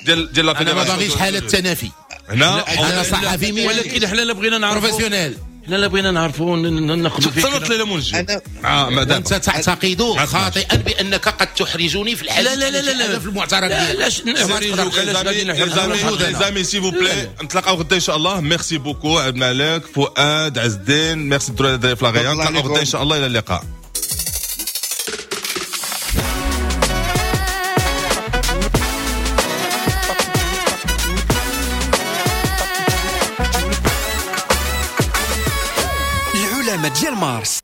ديال la fédération. انا ما باغيش حاله تنافي هنا، انا صحفي، ولكن حنا لا بغينا نعرفوا professionnel، حنا لا بغينا نعرفوا ناخذوا فكرة. تصنت لي منجم. انت تعتقد خاطئا بانك قد تحرجني في الحالة. لا لا لا لا في المعترك. لا علاش غادي نحرجوا؟ les amis s'il vous plaît، نتلاقاو غدا ان شاء الله. merci beaucoup عبد الملك، فؤاد، عز الدين، ميرسي الدراري في لاغيان. نتلاقاو غدا ان شاء الله، الى اللقاء. العلماء ديال مارس.